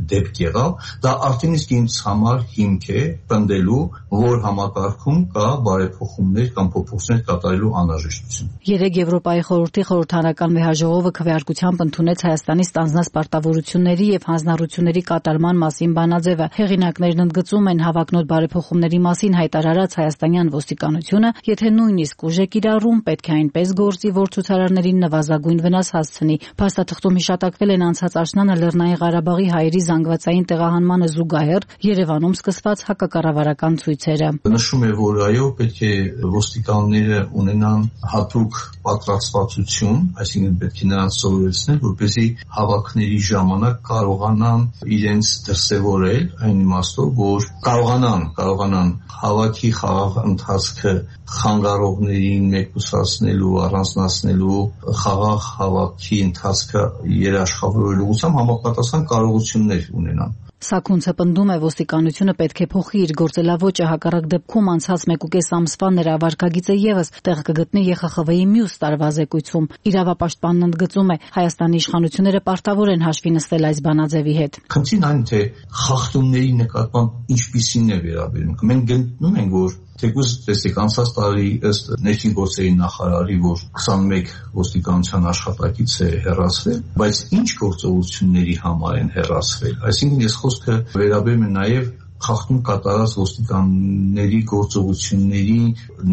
դեպք եղավ, դա արդեն իսկ ինձ համար հիմք է պնդելու, որ համակարգում կա բարեփոխումներ կամ փոփոխություններ կատարելու անհրաժեշտություն։ Երեկ Եվրոպայի խորհրդի խորհրդարանական վեհաժողովը քվեարկությամբ ընդունեց Հայաստանի ստանձնած պարտավորությունների եւ հանձնառությունների կատարման մասին բանաձևը։ Հեղինակներն ընդգծում են հավակնոտ բարեփոխումների մասին հայտարարած հայաստանյան ոստիկանությունը, եթե նույնիսկ ուժ է կիրառում, պետք է այնպես գործի, որ ցուցարարներին նվազագույն վնաս հասցնի։ Փաստաթղթում հիշատակվել են անցած աշնանը Լեռնային Ղարաբաղի հայերի զանգվածային տեղահանմանը զուգահեռ Երևանում սկսված հակակառավարական ցույցերը։ Նշում է, որ այո, պետք է ոստիկանները ունենան հատուկ պատրաստվածություն, այսինքն պետք է նրանց սովորեցնել, որպեսզի հավաքների ժամանակ կարողանան իրենց դրսևորել այն իմաստով, որ կարողանան, կարողանան հավաքի խաղաղ ընթացքը խանգարողներին մեկուսացնելու, առանձնացնելու, խաղաղ հավաքի ընթացքը երաշխավորելու ուղղությամբ համապատասխան կարողություններ ունենան։ Սաքունցը պնդում է, ոստիկանությունը պետք է փոխի իր գործելավոճը, հակառակ դեպքում անցած մեկուկես ամսվա նրա վարկագիծը եւս տեղ կգտնի ԵԽԽՎ-ի մյուս տարվա զեկույցում։ Իրավապաշտպանն ընդգծում է, Հայաստանի իշխանությունները պարտավոր են հաշվի նստել այս բանաձևի հետ։ Խնդիրն այն թե խախտումների նկատմամբ ինչպիսին է վերաբերմունքը։ Մենք գտնում ենք, որ Թեկուզ տեսեք անցած տարի ըստ ներքին գործերի նախարարի, որ քսանմեկ ոստիկանության աշխատակից է հեռացվել, բայց ինչ գործողությունների համար են հեռացվել։ Այսինքն ես խոսքը վերաբերում եմ նաև խախտում կատարած ոստիկանների գործողությունների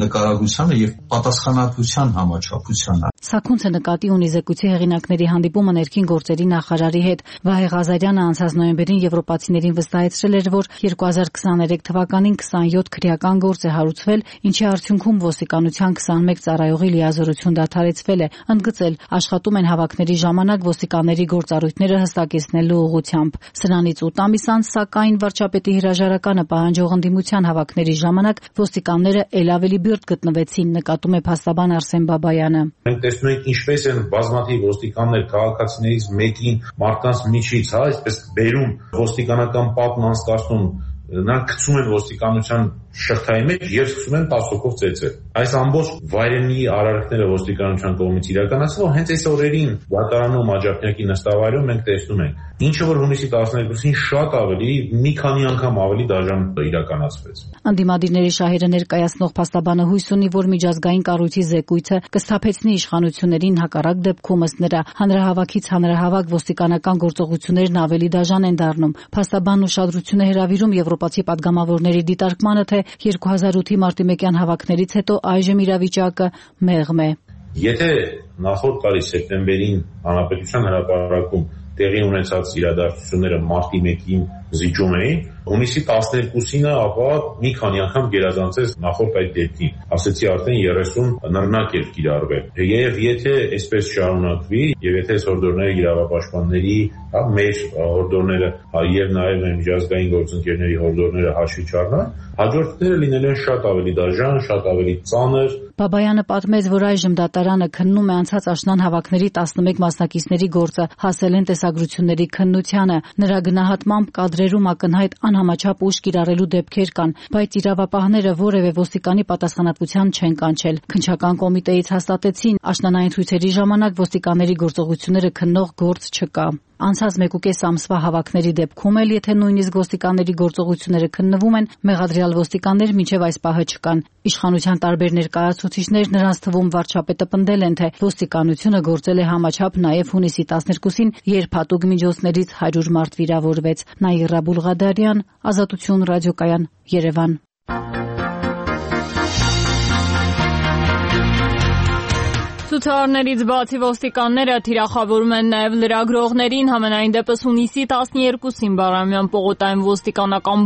նկարագրությանը եւ պատասխանատվության համաչափությանը։ Սաքունցը նկատի ունի զեկույցի հեղինակների հանդիպումը ներքին գործերի նախարարի հետ։ Վահե Ղազարյանը անցած նոյեմբերին եվրոպացիներին վստահեցրել էր, որ երկու հազար քսաներեք թվականին քսանյոթ քրեական գործ է հարուցվել, ինչի արդյունքում ոստիկանության քսանմեկ ծառայողի լիազորություն դադարեցվել է, ընդգծել աշխատում են հավաքների ժամանակ ոստիկանների գործառույթները հստակեցնելու ուղղությամբ։ Սրանից ութ ամիս անց, սակայն, վարչապետի հրաժարականը պահանջող ընդդիմության հավաքների ժամանակ ոստիկանները ել ավելի բիրտ գտնվեցին, նկատում է փաստաբան Արսեն Բաբայանը։ Մենք տեսնում ենք ինչպես են բազմաթիվ ոստիկաններ քաղաքացիներից մեկին մարդկանց միջից, հա, այսպես բերում ոստիկանական պատն անցկացնում, նրանք գցում են ոստիկանության շղթայի մեջ եւ սկսում են տասոկով ծեծել։ Այս ամբողջ վայրենի արարքները ոստիկանության կողմից իրականացվում, հենց այս օրերին դատարանում Աջափնյակի նստավայրում մենք տեսնում ենք, ինչը որ հունիսի տասներկուսին շատ ավելի, մի քանի անգամ ավելի դաժան իրականացվեց։ Անդիմադիրների շահերը ներկայացնող փաստաբանը հույս ունի, որ միջազգային կառույցի զեկույցը կսթափեցնի իշխանություններին, հակառակ դեպքում ըստ նրա հանրահավաքից հանրահավաք ոստիկանական գործողություններն ավելի դաժան են դառնում։ Փաստաբանն ուշադրություն է հրավիրում եվրոպացի падգամավորների դիտարկմանը, թե երկու հազար ութի մարտի մեկյան հավաքներից հետո այժմ իրավիճակը մեղմ է։ Եթե նախորդ տարի սեպտեմբերին հանրապետության հրապարակում տեղի ունեցած իրադարձությունները մարտի մեկին զիջում էին, հունիսի տասներկուսինը ապա մի քանի անգամ գերազանցեց նախորդ այդ դեպքին, ասեցի արդեն երեսուն նռնակ էր կիրառվել։ Եվ եթե այսպես շարունակվի, եւ եթե այս հորդորները իրավապաշտպանների, հա, մեր հորդորները եւ նաեւ մեր միջազգային գործընկերների հորդորները հաշվի չառնան, հաջորդները լինելու են շատ ավելի դաժան, շատ ավելի ծանր։ Բաբայանը պատմեց, որ այժմ դատարանը քննում է անցած աշնան հավաքների տասնմեկ մասնակիցների գործը, հասել են տեսագրությունների քննությանը։ Նրա գնահատմամբ կադրերում ակնհայտ անհամաչափ ուժ կիրառելու դեպքեր կան, բայց իրավապահները որևէ ոստիկանի պատասխանատվության չեն կանչել։ Քննչական կոմիտեից հաստատեցին, աշնանային ցույցերի ժամանակ ոստիկանների գործողությունները քննող գործ չկա։ Անցած մեկուկես ամսվա հավաքների դեպքում էլ, եթե նույնիսկ ոստիկանների գործողությունները քննվում են, մեղադրյալ ոստիկաններ մինչև այս պահը չկան։ Իշխանության տարբեր ներկայացուցիչներ, նրանց թվում վարչապետը, պնդել են, թե ոստիկանությունը գործել է համաչափ նաև հունիսի տասներկուսին, երբ հատուկ միջոցներից հարյուր մարդ վիրավորվեց։ Նաիրա Բուլղադարյան, Ազատություն ռադիոկայան, Երևան։ Ցուցարարներից բացի ոստիկանները թիրախավորում են նաև լրագրողներին, համենայն դեպս հունիսի տասներկուսին Բաղրամյան պողոտայում ոստիկանական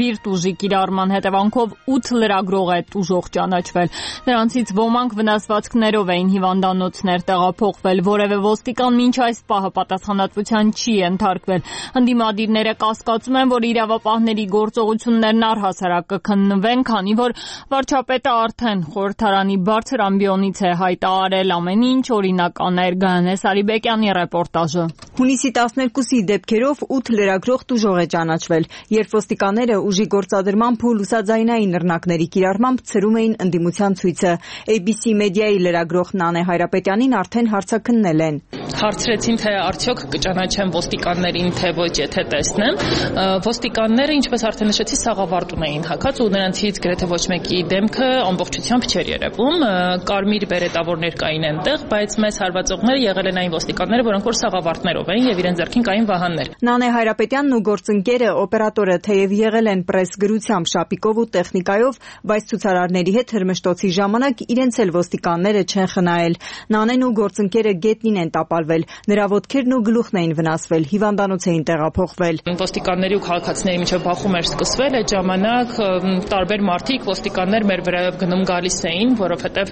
բիրտ ուժի կիրառման հետևանքով ութ լրագրող է տուժող ճանաչվել։ Նրանցից ոմանք վնասվածքներով էին հիվանդանոցներ տեղափոխվել, որևէ ոստիկան մինչ այս պահը պատասխանատվության չի ենթարկվել։ Ընդդիմադիրները կասկածում են, որ իրավապահների գործողություններն առհասարակ կքննվեն, քանի որ վարչապետը արդեն խորհրդարանի բարձր ամբիոնից է հայտարարել ամեն ինչ օրինական էր։ Գայանե Սարիբեկյանի ռեպորտաժը։ Հունիսի տասներկուսի դեպքերով ութ լրագրող տուժող է ճանաչվել, երբ ոստիկանները ուժի գործադրմամբ ու լուսաձայնային նռնակների կիրառմամբ ցրում էին ընդդիմության ցույցը։ A B C մեդիայի լրագրող Նանե Հայրապետյանին արդեն հարցաքննել են։ Հարցրեցին, թե արդյոք կճանաչեն ոստիկաններին, թե ոչ, եթե տեսնեմ։ Ոստիկանները, ինչպես արդեն նշեցի, սաղավարտում էին հագած ու նրանցից գրեթե ոչ մեկի դեմքը ամբողջությամբ չէր երևում։ Կարմիր բերետավորներ կային այնտեղ, բայց մեզ հարվածողները եղել են այն ոստիկանները, որոնք որ սաղավարտներով էին եւ իրենց ձեռքին կային վահաններ։ Նանե Հայրապետյանն ու գործընկերը օպերատորը թեև եղել են պրեսգրությամբ, շապիկով ու տեխնիկայով, բայց ցուցարարների հետ հրմշտոցի ժամանակ իրենց էլ ոստիկանները չեն խնայել։ Նանեն ու գործընկերը գետնին են տապալվել, նրա ոտքերն ու գլուխն էին վնասվել, հիվանդանոց էին տեղափոխվել։ Ոստիկանների ու քաղաքացիների միջև բախում էր սկսվել, այդ ժամանակ տարբեր մարդիկ ոստիկաններ մեր վրայով գնում գալիս էին, որովհետեւ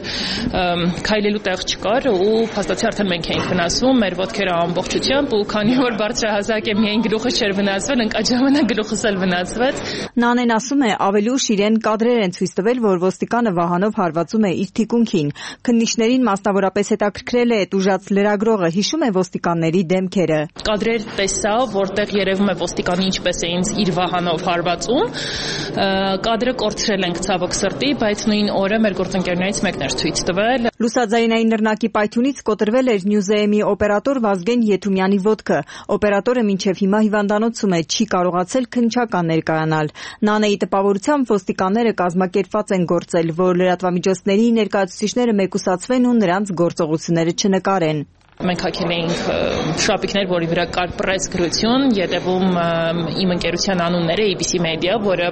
քայլելու տեղ չկար ու փաստացի արդեն մենք էինք վնասվում, մեր ոտքերը ամբողջությամբ ու քանի որ բարձրահասակ է միայն գլուխը չէր վնասվել, ընկած ժամանակ գլուխս էլ վնասվեց։ Նանեն ասում է, ավելի ուշ իրեն կադրեր են ցույց տվել, որ ոստիկանը վահանով հարվածում է իր թիկունքին։ Քննիչներին մասնավորապես հետաքրքրել է տուժած լրագրողը հիշում է ոստիկանների դեմքերը։ Կադրեր տեսա, որտեղ երևում է ոստիկանը ինչպես է ինձ իր վահանով հարվածում։ Կադրը կորցրել ենք ցավոք սրտի, բայց նույն օրը մեր գործընկերներից մեկն էր ցույց տվել։ Լուսաձայնային նռնակի պայթյունից կոտրվել էր Նյուզեեմի օպերատոր Վազգեն Եթումյանի ոտքը։ Օպերատորը մինչև հիմա հիվանդանոցում է, չի կարողացել քննչական ներկայանալ։ Նանեի տպավորությամբ ոստիկանները կազմակերպված են գործել, որ լրատվամիջոցների ներկայացուցիչները մեկուսացվեն ու նրանց գործողությունները չնկարեն։ Մենք հագել էինք շապիկներ, որի վրա կար պրես գրություն, ետևում իմ ընկերության անունները A B C Media, որը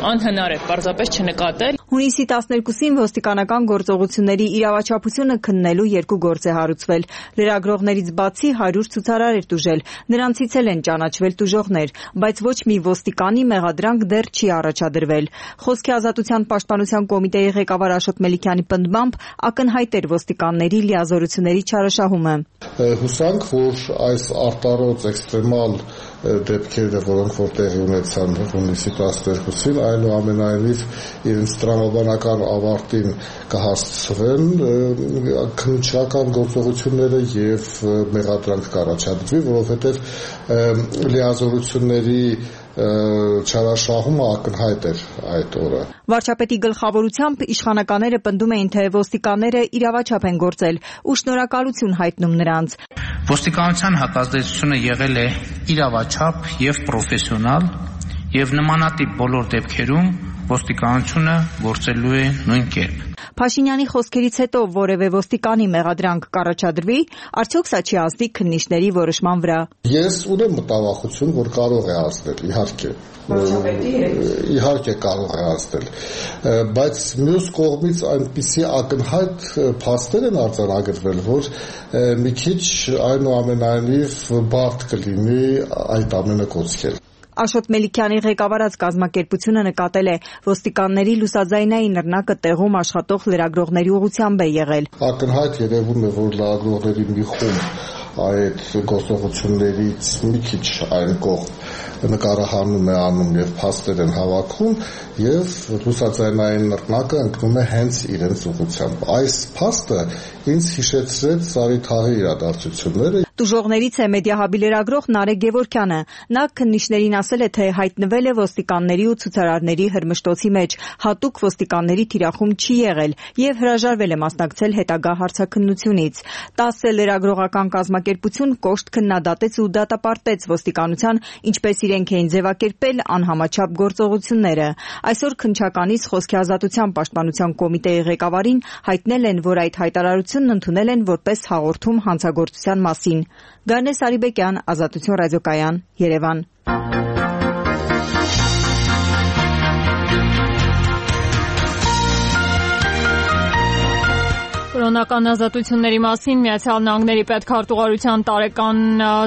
անհնար է պարզապես չնկատել։ Հունիսի տասներկուսին ոստիկանական գործողությունների իրավաչափությունը քննելու երկու գործ է հարուցվել։ Լրագրողներից բացի հարյուր ցուցարար էր տուժել, նրանցից էլ են ճանաչվել տուժողներ, բայց ոչ մի ոստիկանի մեղադրանք դեռ չի առաջադրվել։ Խոսքի ազատության պաշտպանության կոմիտեի ղեկավար Աշոտ Մելիքյանի պնդմամբ ակնհայտ էր ոստիկանների լիազորությունների չարաշահումը։ Հուսանք, որ այս արտարոց էքստրեմալ դեպքերը, որոնք որ տեղի ունեցան հունիսի տասներկուսին, այնուամենայնիվ իրենց տրամաբանական ավարտին կհասցվեն քննչական գործողությունները եւ մեղադրանք կառաջադրվի, որովհետեւ լիազորությունների չարաշահումը ակնհայտ էր այդ օրը։ Վարչապետի գլխավորությամբ իշխանականները պնդում էին, թե ոստիկանները իրավաչափ են գործել ու շնորհակալություն հայտնում նրանց։ Ոստիկանության հակազդեցությունը եղել է իրավաչափ եւ պրոֆեսիոնալ եւ նմանատիպ բոլոր դեպքերում ոստիկանությունը գործելու է նույն կերպ։ Փաշինյանի խոսքերից հետո որևէ ոստիկանի մեղադրանք կառաջադրվի, արդյոք սա չի ազդի քննիչների որոշման վրա։ Ես ունեմ մտավախություն, որ կարող է ազդել, իհարկե։ Իհարկե կարող է ազդել, բայց մյուս կողմից այնպիսի ակնհայտ փաստեր են արձանագրվել, որ մի քիչ այնուամենայնիվ բարդ կլինի այդ ամենը կոչել։ Աշոտ Մելիքյանի ղեկավարած կազմակերպությունը նկատել է ոստիկանների լուսաձայնային նռնակը տեղում աշխատող լրագրողների ուղղությամբ է եղել։ Ակնհայտ երևում է, որ լրագրողների մի խումբ այդ գործողություններից մի քիչ այն կողմ նկարահանում է անում եւ փաստեր են հավաքում եւ լուսաձայնային նռնակը ընկնում է հենց իրենց ուղղությամբ։ Այս փաստը ինձ հիշեցրեց Սարիթաղի իրադարձությունները։ Տուժողներից է Մեդիահաբի լրագրող Նարե Գևորգյանը։ Նա քննիչներին ասել է, թե հայտնվել է ոստիկանների ու ցուցարարների հրմշտոցի մեջ, հատուկ ոստիկանների թիրախում չի եղել եւ հրաժարվել է մասնակցել հետագա հարցաքննությունից։ տասը լրագրողական կազմակերպություն կոշտ քննադատեց ու դատապարտեց ոստիկանության, ինչպես իրենք էին ձևակերպել անհամաչափ գործողությունները։ Այսօր քննչականից խոսքի ազատության պաշտպանության կոմիտեի ղեկավարին հայտնել են, որ այդ հայտարարությունն ընդունել են որպես հաղորդում հանցագործության մասին։ Գանե Սարիբեկյան, Ազատություն ռադիոկայան, Երևան։ Կրոնական ազատությունների մասին Միացյալ Նահանգների պետքարտուղարության տարեկան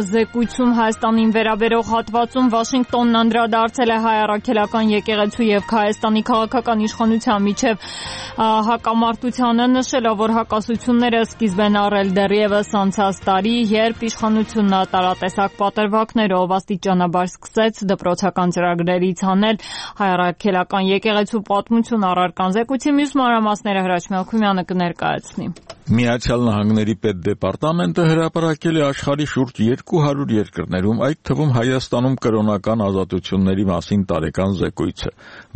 զեկույցում Հայաստանին վերաբերող հատվածում Վաշինգտոնն անդրադարձել է հայ առաքելական եկեղեցու եւ Հայաստանի քաղաքական իշխանության միջև հակամարտությանը, նշելով, որ հակասությունները սկիզբ են առել դեռևս անցած տարի, երբ իշխանությունը տարատեսակ պատրվակներով աստիճանաբար սկսեց դպրոցական ծրագրերից հանել հայ առաքելական եկեղեցու պատմություն առարկան։ Զեկույցի մյուս մանրամասները Հրաչ Մելքումյանը կներկայացնի։ Միացյալ Նահանգների պետդեպարտամենտը հրապարակել է աշխարհի շուրջ երկու հարյուր երկրներում, այդ թվում Հայաստանում կրոնական ազատությունների մասին տարեկան զեկույցը։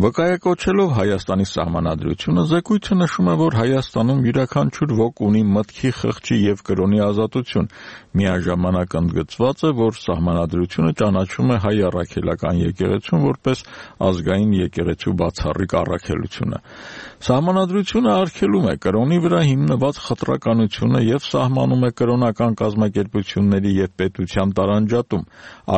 Վկայակոչելով Հայաստանի սահմանադրությունը, զեկույցը նշում է, որ Հայաստանում յուրաքանչյուր ոք ունի մտքի, խղճի եւ կրոնի ազատություն։ Միաժամանակ ընդգծված է, որ սահմանադրությունը ճանաչում է հայ առաքելական եկեղեցուն որպես ազգային եկեղեցու բացառիկ առաքելությունը։ Սահմանադրությունը արգելում է կրոնի վրա հիմնված խտրականությունը եւ սահմանում է կրոնական կազմակերպությունների եւ պետության տարանջատում,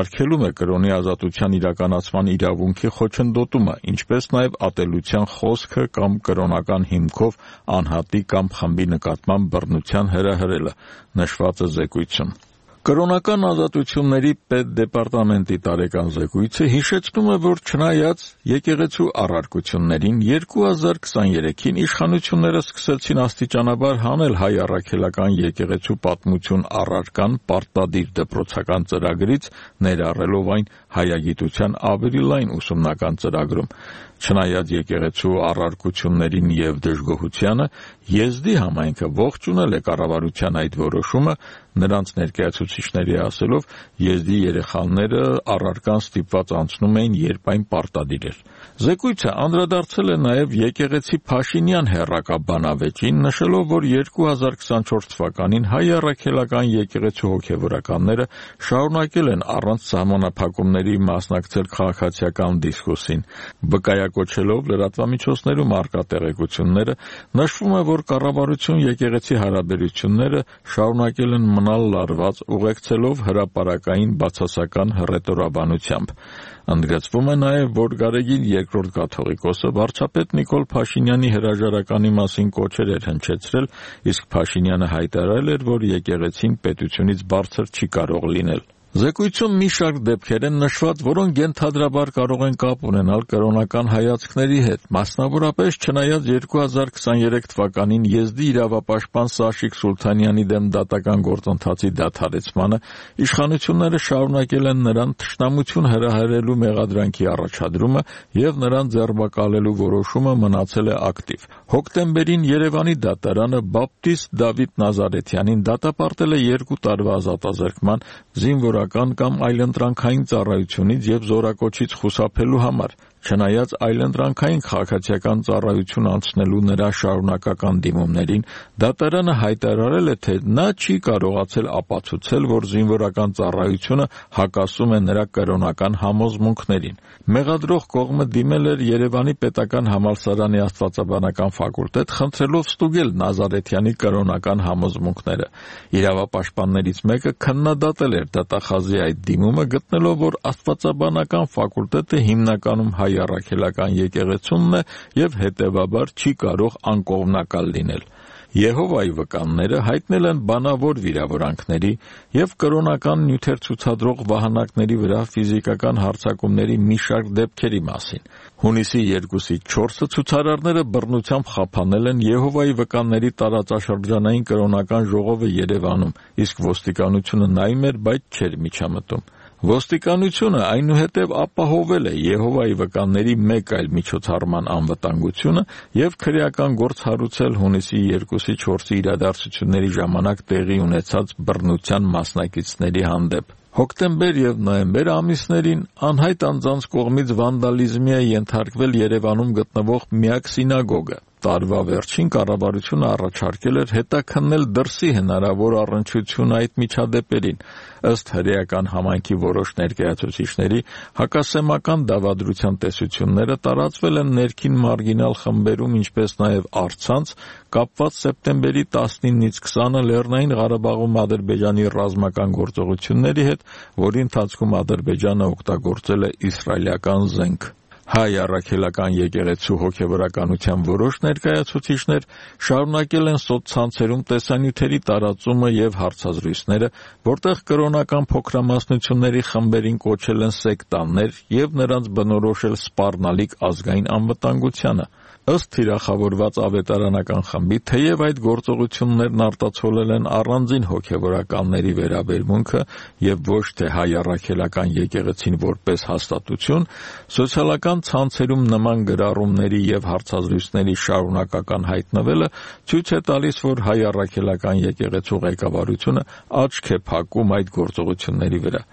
արգելում է կրոնի ազատության իրականացման իրավունքի խոչընդոտումը, ինչպես նաեւ ատելության խոսքը կամ կրոնական հիմքով անհատի կամ խմբի նկատմամբ բռնության հրահրելը, նշված է զեկույցում։ Կրոնական ազատությունների պետդեպարտամենտի տարեկան զեկույցը հիշեցնում է, որ չնայած եկեղեցու առարկություններին երկու հազար քսաներեքին իշխանությունները սկսեցին աստիճանաբար հանել հայ առաքելական եկեղեցու պատմություն առարկան պարտադիր դպրոցական ծրագրից, ներառելով այն հայագիտության ավելի լայն ուսումնական ծրագրում։ Չնայած եկեղեցու առարկություններին եւ դժգոհությանը, Եզդի համայնքը ողջունել է կառավարության այդ որոշումը, Նրանց ներկայացուցիչների ասելով, եզդի երեխաները առարկան ստիպված անցնում էին, երբ այն պարտադիր էր։ Զեկույցը անդրադարձել է նաև եկեղեցի Փաշինյան հեռակաբանավեճին, նշելով, որ երկու հազար քսանչորս թվականին հայ առաքելական եկեղեցու հոգևորականները շարունակել են առանց սահմանափակումների մասնակցել քաղաքացիական դիսկուրսին։ Վկայակոչելով լրատվամիջոցներում առկա տեղեկությունները, նշվում է, որ կառավարություն եկեղեցի հարաբերությունները շարունակել են մնալ լարված, ուղեկցելով հրապարակային բացասական հռետորաբանությամբ։ Ընդգծվում է նաև, որ Գարեգին երկրորդ կաթողիկոսը վարչապետ Նիկոլ Փաշինյանի հրաժարականի մասին կոչեր էր հնչեցրել, իսկ Փաշինյանը հայտարարել էր, որ եկեղեցին պետությունից բարձր չի կարող լինել։ Զեկույցում մի շարք դեպքեր են նշված, որոնք ենթադրաբար կարող են կապ ունենալ կրոնական հայացքների հետ։ Մասնավորապես, չնայած երկու հազար քսաներեք թվականին եզդի իրավապաշտպան Սաշիկ Սուլթանյանի դեմ դատական գործընթացի դադարեցմանը, իշխանությունները շարունակել են նրան թշնամություն հրահրելու մեղադրանքի առաջադրումը եւ նրան ձերբակալելու որոշումը մնացել է ակտիվ։ Հոկտեմբերին Երևանի դատարանը Բապտիստ Դավիթ Նազարեթյանին դատապարտել է երկու տարվա ազատազրկման, զինվորական կամ այլընտրանքային ծառայությունից եւ զորակոչից խուսափելու համար։ Չնայած այլընտրանքային քաղաքացիական ծառայություն անցնելու նրա շարունակական դիմումներին, դատարանը հայտարարել է, թե նա չի կարողացել ապացուցել, որ զինվորական ծառայությունը հակասում է նրա կրոնական համոզմունքներին։ Մեղադրող կողմը դիմել էր Երևանի պետական համալսարանի աստվածաբանական ֆակուլտետ, խնդրելով ստուգել Նազարեթյանի կրոնական համոզմունքները։ Իրավապաշտպաններից մեկը քննադատել էր դատախազի այդ դիմումը, գտնելով, որ աստվածաբանական ֆակուլտետը հիմնականում հայ առաքելական եկեղեցումն է եւ հետեւաբար չի կարող անկողմնակալ լինել։ Եհովայի վկանները հայտնել են բանավոր վիրավորանքների եւ կրոնական նյութեր ցուցադրող վահանակների վրա ֆիզիկական հարձակումների մի շարք դեպքերի մասին։ Հունիսի երկուսի չորսը ցուցարարները բռնությամբ խափանել են Եհովայի վկանների տարածաշրջանային կրոնական ժողովը Երևանում, իսկ ոստիկանությունը նայում էր, բայց չէր միջամտում։ Ոստիկանությունը այնուհետև ապահովել է Եհովայի վկանների մեկ այլ միջոցառման անվտանգությունը եւ քրեական գործ հարուցել հունիսի երկուսի չորսի իրադարձությունների ժամանակ տեղի ունեցած բռնության մասնակիցների հանդեպ։ Հոկտեմբեր եւ նոյեմբեր ամիսներին անհայտ անձանց կողմից վանդալիզմի է ենթարկվել Երևանում գտնվող միակ սինագոգը։ Տարվա վերջին կառավարությունը առաջարկել էր հետաքննել դրսի հնարավոր առնչություն այդ միջադեպերին։ Ըստ հրեական համայնքի որոշ ներկայացուցիչների, հակասեմական դավադրության տեսությունները տարածվել են ներքին մարգինալ խմբերում, ինչպես նաև առցանց, կապված սեպտեմբերի տասնինից քսանը Լեռնային Ղարաբաղում Ադրբեջանի ռազմական գործողությունների հետ, որի ընթացքում Ադրբեջանը օգտագործել է իսրայելական զենք։ Հայ առաքելական եկեղեցու հոգևորականության որոշ ներկայացուցիչներ շարունակել են սոցցանցերում տեսանյութերի տարածումը եւ հարցազրույցները, որտեղ կրոնական փոքրամասնությունների խմբերին կոչել են սեկտաններ եւ նրանց բնորոշել սպառնալիք ազգային անվտանգությանը։ Ըստ թիրախավորված ավետարանական խմբի, թեև այդ գործողություններն արտացոլել են առանձին հոգևորականների վերաբերմունքը եւ ոչ թե հայ առաքելական եկեղեցին որպես հաստատություն, սոցիալական ցանցերում նման գրառումների եւ հարցազրույցների շարունակական հայտնվելը ցույց է տալիս, որ հայ առաքելական եկեղեցու ղեկավարությունը աչք է փակում այդ գործողությունների վրա։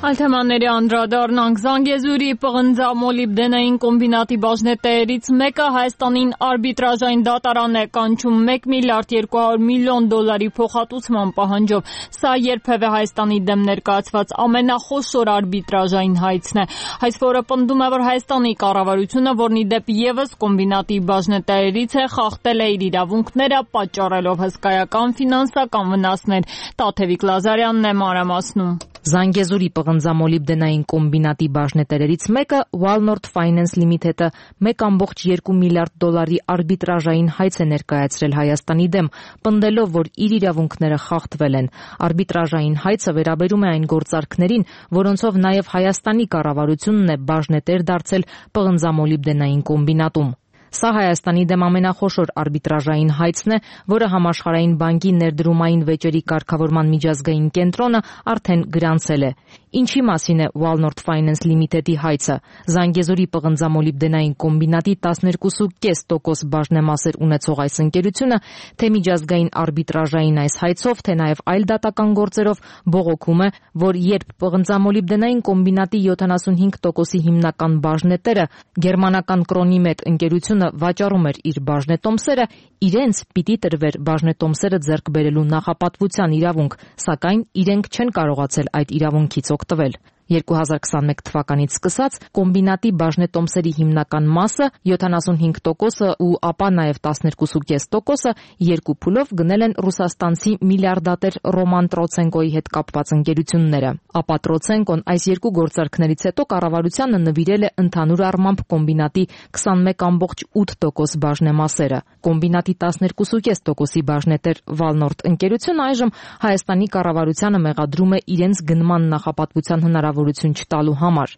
Այլ թեմաների անդրադառնանք Զանգեզուրի պղնձամոլիբդենային կոմբինատի բաժնետերից մեկը Հայաստանին արբիտրաժային դատարան է կանչում մեկ միլիարդ երկու հարյուր միլիոն դոլարի փոխհատուցման պահանջով։ Սա երբևէ Հայաստանի դեմ ներկայացված ամենախոշոր արբիտրաժային հայցն է։ Հայցվորը պնդում է, որ Հայաստանի կառավարությունը, որն ի դեպ եւս կոմբինատի բաժնետերից է, խախտել է իր իրավունքները, պատճառելով հսկայական ֆինանսական վնասներ։ Տաթևիկ Լազարյանն է մանրամասնում։ Զանգեզուրի պղնձամոլիբդենային կոմբինատի բաժնետերերից մեկը Walnort Finance Limited-ը մեկ կόμma երկու միլիարդ դոլարի արբիտրաժային հայց է ներկայացրել Հայաստանի դեմ, պնդելով, որ իր իրավունքները խախտվել են։ Արբիտրաժային հայցը վերաբերում է այն գործարքներին, որոնցով նաև Հայաստանի կառավարությունն է բաժնետեր դարձել պղնձամոլիբդենային կոմբինատում։ Սա Հայաստանի դեմ ամենախոշոր արբիտրաժային հայցն է, որը Համաշխարհային բանկի ներդրումային վեճերի կարգավորման միջազգային կենտրոնը արդեն գրանցել է։ Ինչի մասին է Walnort Finance Limited-ի հայցը։ Զանգեզուրի պղնձամոլիբդենային կոմբինատի տասներկու կόμμα պենս տոկոս բաժնեմասեր ունեցող այս ընկերությունը թե միջազգային արբիտրաժային այս հայցով, թե նաև այլ դատական գործերով բողոքում է, որ երբ պղնձամոլիբդենային կոմբինատի յոթանասունհինգ տոկոսի հիմնական բաժնետերը գերմանական Կրոնիմեդ ընկերությունը վաճառում էր իր բաժնետոմսերը, իրենց պիտի տրվեր բաժնետոմսերը ձեռք բերելու նախապատվության իրավունք, սակայն իրենք չեն կարողացել այդ իրավունքից օգտվել։ երկու հազար քսանմեկ թվականից սկսած կոմբինատի բաժնետոմսերի հիմնական մասը յոթանասունհինգ տոկոսը ու ապա նաև տասներկու կόμμα պենս տոկոսը երկու փուլով գնել են ռուսաստանցի միլիարդատեր Ռոման Տրոցենկոյի հետ կապված ընկերությունները։ Ապա Տրոցենկոն այս երկու գործարքներից հետո կառավարությանը նվիրել է ընդհանուր առմամբ կոմբինատի քսանմեկ կόμμα ութ տոկոս բաժնեմասերը։ Կոմբինատի տասներկու կόμμα պենս տոկոսի բաժնետեր Walnort ընկերությունը այժմ Հայաստանի կառավարությանը մեղադրում է իրենց գնման նախապատվության հնարավորություն չտալու համար։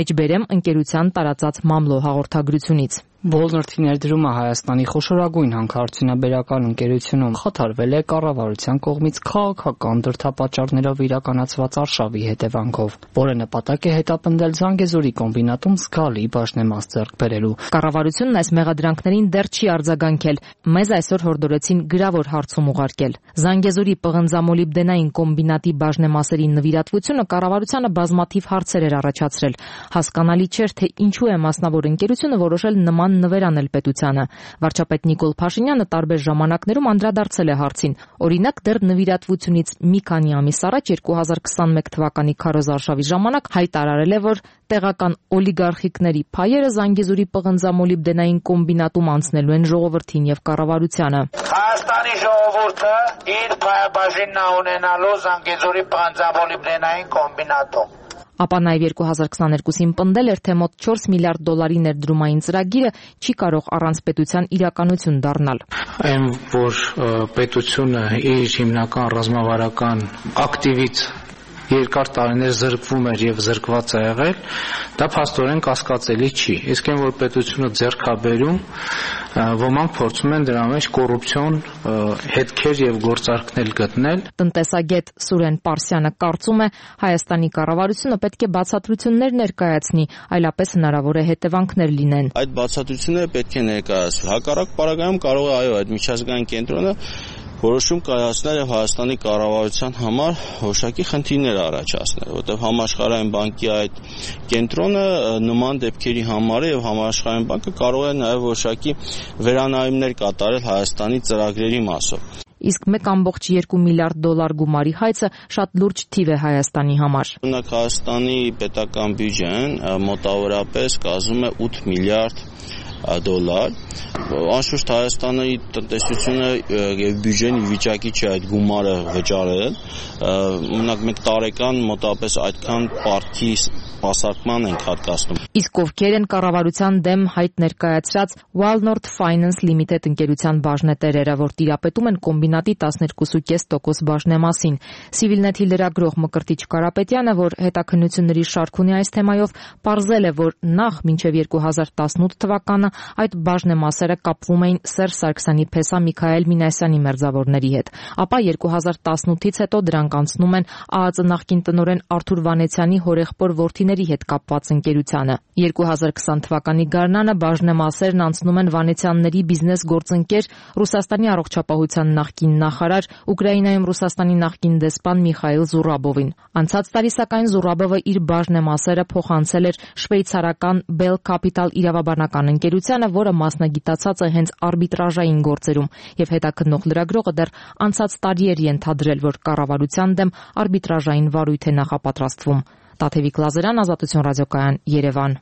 Մեջբերեմ ընկերության տարածած մամլո հաղորդագրությունից։ Walnort-ի ներդրումը Հայաստանի խոշորագույն հանքարդյունաբերական ընկերությունում խաթարվել է կառավարության կողմից քաղաքական դրդապատճառներով իրականացված արշավի հետևանքով, որը նպատակ է հետապնդել Զանգեզուրի կոմբինատում զգալի բաժնեմաս ձեռք բերելու։ Կառավարությունն այս մեղադրանքներին դեռ չի արձագանքել։ Մեզ այսօր հորդորեցին գրավոր հարցում ուղարկել։ Զանգեզուրի պղնձամոլիբդենային կոմբինատի բաժնեմասերի նվիրատվությունը կառավարությանը բազմաթիվ հարցեր էր առաջացրել։ Հասկանալի չէր, թե ինչու է մասնավոր ընկերությունը որոշել նման նվեր անել պետությանը։ Վարչապետ Նիկոլ Փաշինյանը տարբեր ժամանակներում անդրադարձել է հարցին։ Օրինակ, դեռ նվիրատվությունից մի քանի ամիս առաջ երկու հազար քսանմեկ թվականի քարոզարշավի ժամանակ հայտարարել է, որ տեղական օլիգարխիկների փայերը Զանգեզուրի պղնձամոլիբդենային կոմբինատում անցնելու են ժողովրդին եւ կառավարությանը։ Հայաստանի ժողովուրդը իր փայաբաժինն ունենալու Զանգեզուրի պղնձամոլիբդենային կոմբինատում։ Ապա նաև երկու հազար քսաներկուսին պնդել էր, թե մոտ չորս միլիարդ դոլարի ներդրումային ծրագիրը չի կարող առանց պետության իրականություն դառնալ։ Այն, որ պետությունը իր հիմնական ռազմավարական ակտիվից երկար տարիներ զրկվում էր եւ զրկված է եղել, դա փաստորեն կասկածելի չի։ Իսկ այն, որ պետությունը ձեռք է բերում, ոմանք փորձում են դրա մեջ կոռուպցիոն հետքեր եւ գործարքներ գտնել։ Տնտեսագետ Սուրեն Պարսյանը կարծում է, Հայաստանի կառավարությունը պետք է բացատրություններ ներկայացնի, այլապես հնարավոր է հետևանքներ լինեն։ Այդ բացատրությունները պետք է ներկայացվի։ Հակառակ պարագայում կարող է այո, այդ միջազգային կենտրոնը որոշում կայացնել եւ Հայաստանի կառավարության համար որոշակի խնդիրներ առաջացնել, որտեղ Համաշխարհային բանկի այդ կենտրոնը նման դեպքերի համար է եւ Համաշխարհային բանկը կարող է նաեւ որոշակի վերանայումներ կատարել Հայաստանի ծրագրերի մասով։ Իսկ մեկ կόμma երկու միլիարդ դոլար գումարի հայցը շատ լուրջ թիվ է Հայաստանի համար։ Օրինակ Հայաստանի պետական բյուջեն մոտավորապես կազմում է ութ միլիարդ դոլար։ Անշուշտ Հայաստանի տնտեսությունը եւ բյուջեն վիճակի չէ այդ գումարը վճարել։ Օրինակ մենք տարեկան մոտավորապես այդքան պարտքի սպասարկման ենք հատկացնում։ Իսկ ովքեր են կառավարության դեմ հայտ ներկայացրած Walnort Finance Limited ընկերության բաժնետերերը, որ տիրապետում են կոմբինատի տասներկու կόμμα պենս տոկոս բաժնեմասին։ Civilnet-ի լրագրող Մկրտիչ Կարապետյանը, որ հետաքննությունների շարք ունի այս թեմայով, պարզել է, որ նախ մինչև երկու հազար տասնութ թվականը այդ բաժնեմասերը կապվում էին Սերժ Սարգսյանի փեսա Միքայել Մինասյանի մերձավորների հետ։ Ապա երկու հազար տասնութից հետո դրանք անցնում են ԱԱԾ նախկին տնօրեն Արթուր Վանեցյանի հորեղբոր որդիների հետ կապված ընկերությանը։ երկու հազար քսան թվականի գարնանը բաժնեմասերն անցնում են Վանեցյանների բիզնես գործընկեր Ռուսաստանի առողջապահության նախկին նախարար, Ուկրաինայում Ռուսաստանի նախկին դեսպան Միխայիլ Զուրաբովին։ Անցած տարի սակայն Զուրաբովը իր բաժնեմասերը փոխանցել էր շվեյցարական Bell Capital իրավաբանական ընկերությանը, որը մասնագիտացած է հենց արբիտրաժային գործերում, եւ հետաքննող լրագրողը դեռ անցած տարի էր ենթադրել, որ կառավարության դեմ արբիտրաժային վարույթ է նախապատրաստվում։ Տաթևիկ Լազարյան, Ազատություն ռադիոկայան, Երևան։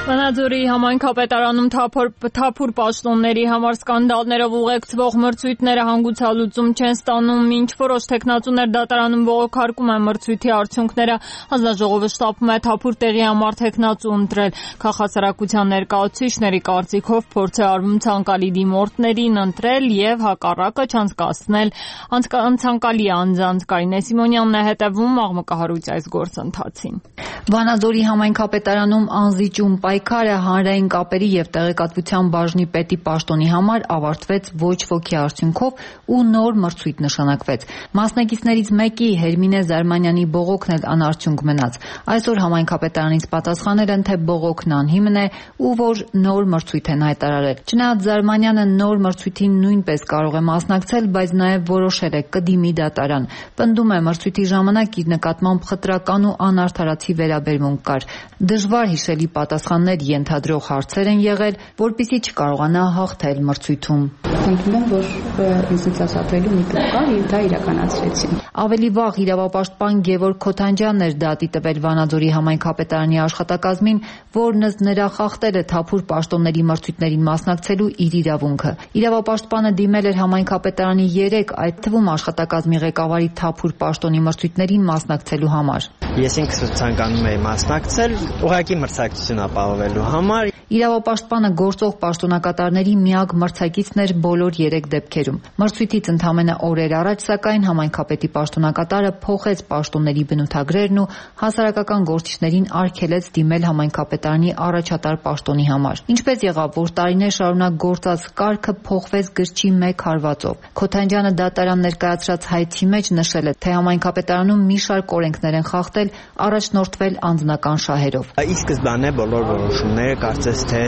Վանաձորի Վանաձորի համայնքապետարանում թափուր պաշտոնների համար սկանդալներով ուղեկցվող մրցույթները հանգուցալուծում չեն ստանում, ինչ որոշ թեկնածուներ դատարանում բողոքարկում են մրցույթի արդյունքները, հանձնաժողովը շտապում է թափուր տեղի համար թեկնածու ընտրել։ Քաղաքասարակության ներկայացուցիչների կարծիքով փորձ է արվում ցանկալի դիմորդներին ընտրել եւ հակառակը չանցկացնել անցանկալի անձանց։ Կարինե Սիմոնյանն է հետևում աղմկահարույց այս գործընթացին։ Վանաձորի համայնքապետարանում անզիջում պայքարը հանրային կապերի եւ տեղեկատվության բաժնի պետի պաշտոնի համար ավարտվեց ոչ ոքի արդյունքով ու նոր մրցույթ նշանակվեց։ Մասնակիցներից մեկի Հերմինե Զարմանյանի բողոքն էլ անարդյունք մնաց։ Այսօր համայնքապետարանից պատասխանել են, թե բողոքն անհիմն է ու որ նոր մրցույթ են հայտարարել։ Չնայած Զարմանյանը նոր մրցույթին նույնպես կարող է մասնակցել, բայց նաեւ որոշել է կդիմի դատարան։ Պնդում է մրցույթի ժամանակ իր նկատմամբ խտրական ու անարդարացի վերաբերմունք կար։ Դժվար հիշելի պատասխաններ ենթադրող հարցեր են եղել, որպեսզի չկարողանա հաղթել մրցույթում։ Ընդունում եմ, որ ինձնից ազատվելու մի կերպ կար եւ դա իրականացրեցին։ Ավելի վաղ իրավապաշտպան Գևորգ Քոթանջյանն էր դատի տվել Վանաձորի համայնքապետարանի աշխատակազմին, որն ըստ նրա խախտել է թափուր պաշտոնների մրցույթներին մասնակցելու իր իրավունքը։ Իրավապաշտպանը դիմել էր համայնքապետարանի երեք, այդ թվում աշխատակազմի ղեկավարի թափուր պաշտոնի մրցույթներին մասնակցելու համար։ Ես ինքս ցանկանում եի մասնակցել, ուղղակի մրցակցություն ապահովելու համար։ Իրավապաշտպանը գործող պաշտոնակատարների միակ մրցակիցն էր բոլոր երեք դեպքերում։ Մրցույթից ընդամենը օրեր առաջ, սակայն համայնքապետի պաշտոնակատարը փոխեց պաշտոնների բնութագրերն ու հասարակական գործիչներին արգելեց դիմել համայնքապետարանի առաջատար պաշտոնի համար։ Ինչպես եղավ, որ տարիներ շարունակ գործած կարգը փոխվեց գրչի մեկ հարվածով։ Քոթանջյանը դատարան ներկայացրած հայցի մեջ նշել է, թե համայնքապետարանում մի շարք օրենքներ են խախտել, առաջնորդվել անձնական շահերով։ Ի սկզբանե բոլոր որոշումները կարծես թե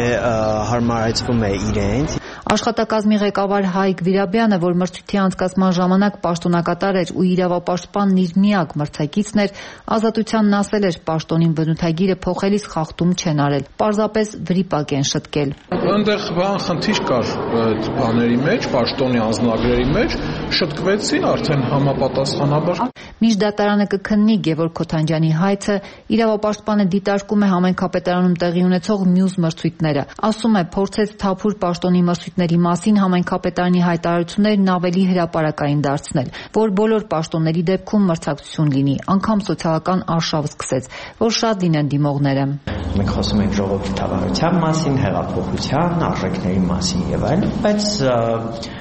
հարմարեցվում է իրենց։ Աշխատակազմի ղեկավար Հայկ Վիրաբյանը, որ մրցույթի անցկացման ժամանակ պաշտոնակատար էր ու իրավապաշտպանն իր միակ մրցակիցն էր, Ազատությանն ասել էր, պաշտոնին բնութագիրը փոխելիս խախտում չեն արել, պարզապես վրիպակ են շտկել։ Այնտեղ բան խնդիր կար այդ բաների մեջ, պաշտոնի անձնագրերի մեջ, շտկվեցին արդեն համապատասխանաբար։ Մինչ դատարանը կքննի Գևորգ Քոթանջյանի հայցը, իրավապաշտպանը դիտարկում է համայնքապետարանում տեղի ունեցող մյուս մրցույթները։ Ասում է, փորձեց թափուր պաշտոնի մրցույթների մասին համայնքապետարանի հայտարարություններն ավելի հրապարակային դարձնել, որ բոլոր պաշտոնների դեպքում մրցակցություն լինի, անգամ սոցիալական արշավ սկսեց, որ շատ լինեն դիմողները։ Մենք խոսում ենք ժողովրդի թավայնության մասին, հեղափոխության, արժեքների մասին եւ այլն, բայց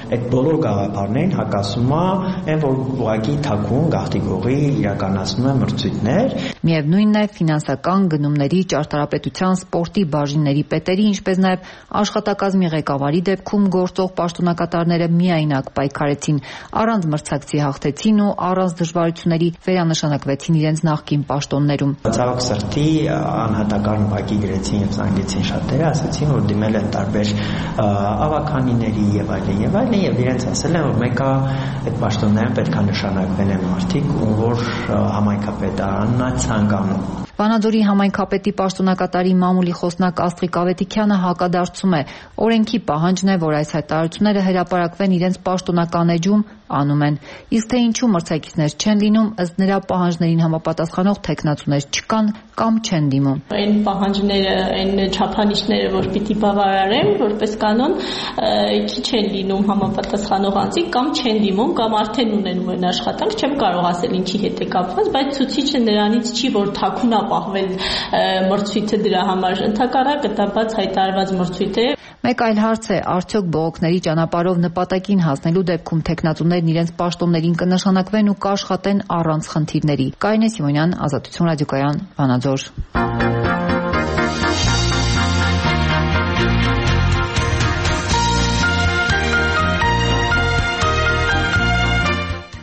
այդ բոլոր գաղափարներին հակասում է այն, որ ուղղակի թաքուն գաղթի գողի իրականացնում է մրցույթներ։ Միևնույնն է, ֆինանսական գնումների, ճարտարապետության, սպորտի բաժինների պետերի, ինչպես նաև աշխատակազմի ղեկավարի դեպքում գործող պաշտոնակատարները միայնակ պայքարեցին, առանց մրցակցի հաղթեցին ու առանց դժվարությունների վերանշանակվեցին իրենց նախկին պաշտոններում։ Ցավոք սրտի անհատական ուղղակի գրեցին եւ զանգեցին շատերը, ասացին, որ դիմել են տարբեր ավականիների եւ այլն եւ այլն եւ իրենց ասել են, որ մեկը այդ պաշտոններում պետք է նշանակվեն են մարդիկ, ում որ համայնքապետարանն է ցանկանում։ Վանաձորի համայնքապետի պաշտոնակատարի մամուլի խոսնակ Աստղիկ Ավետիքյանը հակադարձում է, օրենքի պահանջն է, որ այս հայտարարությունները հրապարակվեն իրենց պաշտոնական էջում, անում են։ Իսկ թե ինչու մրցակիցներ չեն լինում, ըստ նրա պահանջներին համապատասխանող թեկնածուներ չկան կամ չեն դիմում։ Այն պահանջները, այն չափանիշները, որ պիտի բավարարեն, որպես կանոն, քիչ են լինում համապատասխանող անձիկ կամ չեն դիմում կամ արդեն ունեն այն աշխատանք, չեմ կարող ասել ինչի հետ է կապված, բայց ցուցիչը նրանից չի, որ թաքուն ապահովել մրցույթը դրա համար, ընդհակառակը դա բաց հայտարարված մրցույթ է։ Մեկ այլ հարց է, արդյոք բողոքների ճանապարհով նպատակին հասնելու դեպքում թեկնածուներն իրենց պաշտոններին կնշանակվեն ու կաշխատեն առանց խնդիրների։ Կարինե Սիմոնյան, Ազատություն ռադիոկայան, Վանաձոր։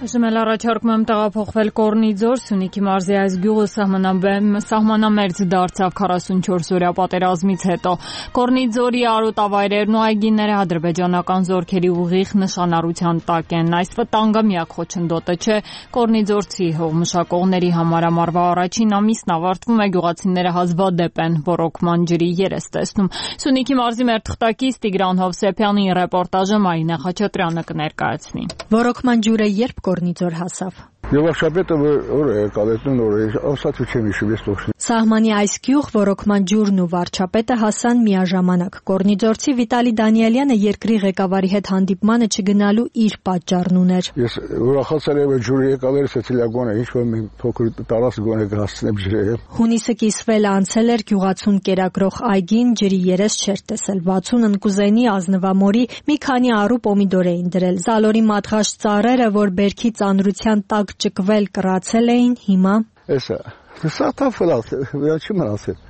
Այժմ առաջարկում եմ տեղափոխվել Կորնի ձոր, Սյունիքի մարզի այս գյուղը սահմանամերձ դարձավ քառասունչորս օրյա պատերազմից հետո։ Կորնի ձորի արոտավայրերն ու այգիները ադրբեջանական զորքերի ուղիղ նշանառության տակ են։ Այս վտանգը միակ խոչընդոտը չէ, Կորնի ձորցի հողմշակողների համար ամառվա առաջին ամիսն ավարտվում է, գյուղացիները հազվադեպ են ռոռոկման ջրի երես տեսնում։ Սյունիքի մարզի մեր թղթակից Տիգրան Հովսեփյանի ռեպորտաժը Մարինա Խաչատրյանը կներկայացնի։ Ռոռոկման ջուրը երբ Կորնի ձոր հասավ։ Եվ վարչապետը որ է եկալետն որ է ասացու չեմ հիշում ես տոշնի։ Սահմանի այս գյուղ ռոռոկման ջուրն ու վարչապետը հասան միաժամանակ։ Գորնիձորցի Վիտալի Դանիելյանը երկրի ղեկավարի հետ հանդիպմանը չգնալու իր պատճառն ուներ։ Ես ուրախացել եմ ջուրի եկալերս էլիագոնը ինչ որ մի փոքր տարած գոնե կհասցնեմ ջրերը։ Հունիսը կիսվել անցել էր գյուղացուն կերակրող այգին, ջրի երես չէր տեսել։ վաթսուն ընկուզենի ազնվամորի մի քանի առու պոմիդոր էին դրել։ Զալորի մատղաշ ծառերը, որ բերքի ծանրության տակ ճկվել կռացել էին, հիմա Էսա, սա թափել է, վրա չի մնացել։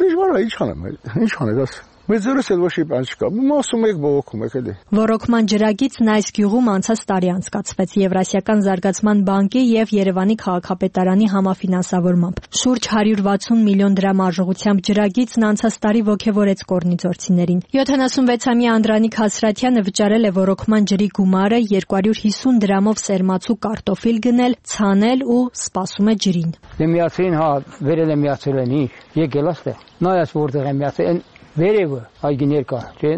Դժվար է, ինչ անեմ, ինչ անել, աս։ Մեծ զորս էլ ոչ մի բան չկա։ Մասում եք բողոքում եք էլի։ Ռոռոկման ջրագիծն այս գյուղում անցած տարի անցկացվեց Եվրասիական զարգացման բանկի եւ Երևանի քաղաքապետարանի համաֆինանսավորմամբ։ Շուրջ հարյուր վաթսուն միլիոն դրամ արժողությամբ ջրագիծն անցած տարի ոգևորեց կորնիձորցիներին։ յոթանասունվեցամյա Անդրանիկ Հասրատյանը վճարել է ռոռոկման ջրի գումարը երկու հարյուր հիսուն դրամով սերմացու կարտոֆիլ գնել, ցանել ու սպասում է ջրին։ Դե միացին, հա, վերել է միացել են, եկել աստեղ։ Նայած որտեղ է միացել Վերևը այգիներ կա, չէ՞։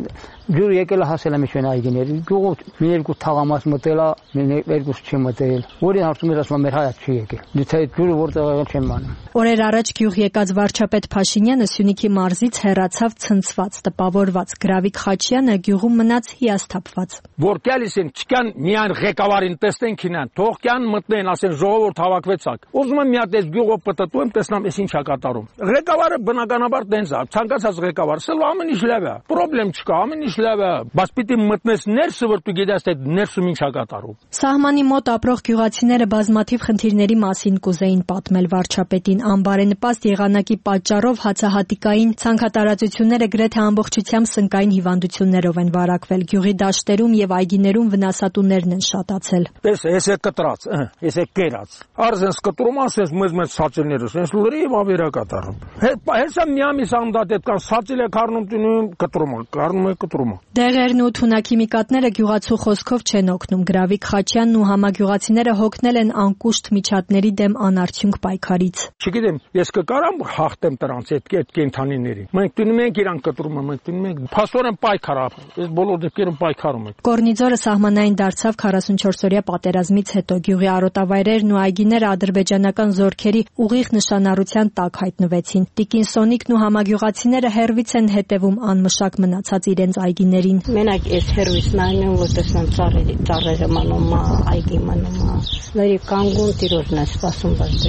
Ջուր եկել է հասել է միջին այգիներ։ Գյուղով մի երկու թաղամաս մտել է, մի երկուս չի մտել։ Որին հարցում էր ասում մեր հայաց չի եկել։ Դե ջուրը որտեղ եղել չեմ անում։ Օրեր առաջ գյուղ եկած վարչապետ Փաշինյանը Սյունիքի մարզից հեռացավ ցնցված, տպավորված։ Գրավիկ Խաչյանը գյուղում մնաց հիասթափված։ Որ գալիս են չկան միայն ղեկավարին տեսնեն քինան, թող կան մտնեն, ասեն ժողովուրդ հավաքվեցակ։ Ուզում եմ մի հատ այս գյուղով պատտում, տեսնամ էս ինչա կատարում։ Ղեկավարը բնականաբար տենց է, ցանկացած ղեկավար, սա ամեն ինչ լավ է։ Պրոբլեմ չկա, ամեն ինչ լավ է, բայց պիտի մտնես ներսը, որ դու գիտես թե ներսում ինչա կատարում։ Սահմանի մոտ ապրող գյուղացիները բազմաթիվ խնդիրների մասին կուզեին պատմել վարչապետին, անբարենպաստ եղանակի պատճառով հացահատիկային ցանքատարածությունները գրեթե ամբողջությամբ սնկային հիվանդություններով են վարակվել։ Գյուղի դաշտերում եւ այգիներում վնասատուներն են շատացել։ Տես, էս է կտրած, էս է կերած։ Արզենս կտրում ասես մեզ մեզ սացելներս, էս լրիվ ավերա կատարում։ Հեսա միամիս անդատ կան սացել է քառնում տնում կտրում, քառնում է կտրում։ Դեղերն ու թունաքիմիկատները գյուղացու խոսքով չեն օգնում։ Գրավիկ Խաչյանն ու համագյուղացիները հոգնել են անկուշտ միջատների դեմ անարդյունք պայքարից։ Չգիտեմ, ես կկարամ հաղթեմ դրանց այդ այդ կենթանիներին։ Մենք տնում ենք իրան կտրումը, մենք տնում ենք փաստորեն պայքար, այս բոլոր դեպքերում պայքարում ենք։ Կորնիձորը սահմանային դարձավ քառասունչորսօրյա պատերազմից հետո։ Գյուղի արոտավայրերն ու այգիները ադրբեջանական զորքերի ուղիղ նշանառության տակ հայտնվեցին։ Տիկին Սոնիկն ու համագյուղացիները հերվից են հետևում անմշակ մնացած իրենց այգիներին։ Մենակ այս հերվից նայում որ տեսնեմ ծառերի ծառերը մնում է, այգի մնում է։ Լրի կանգուն տիրոջն է սպասում բայց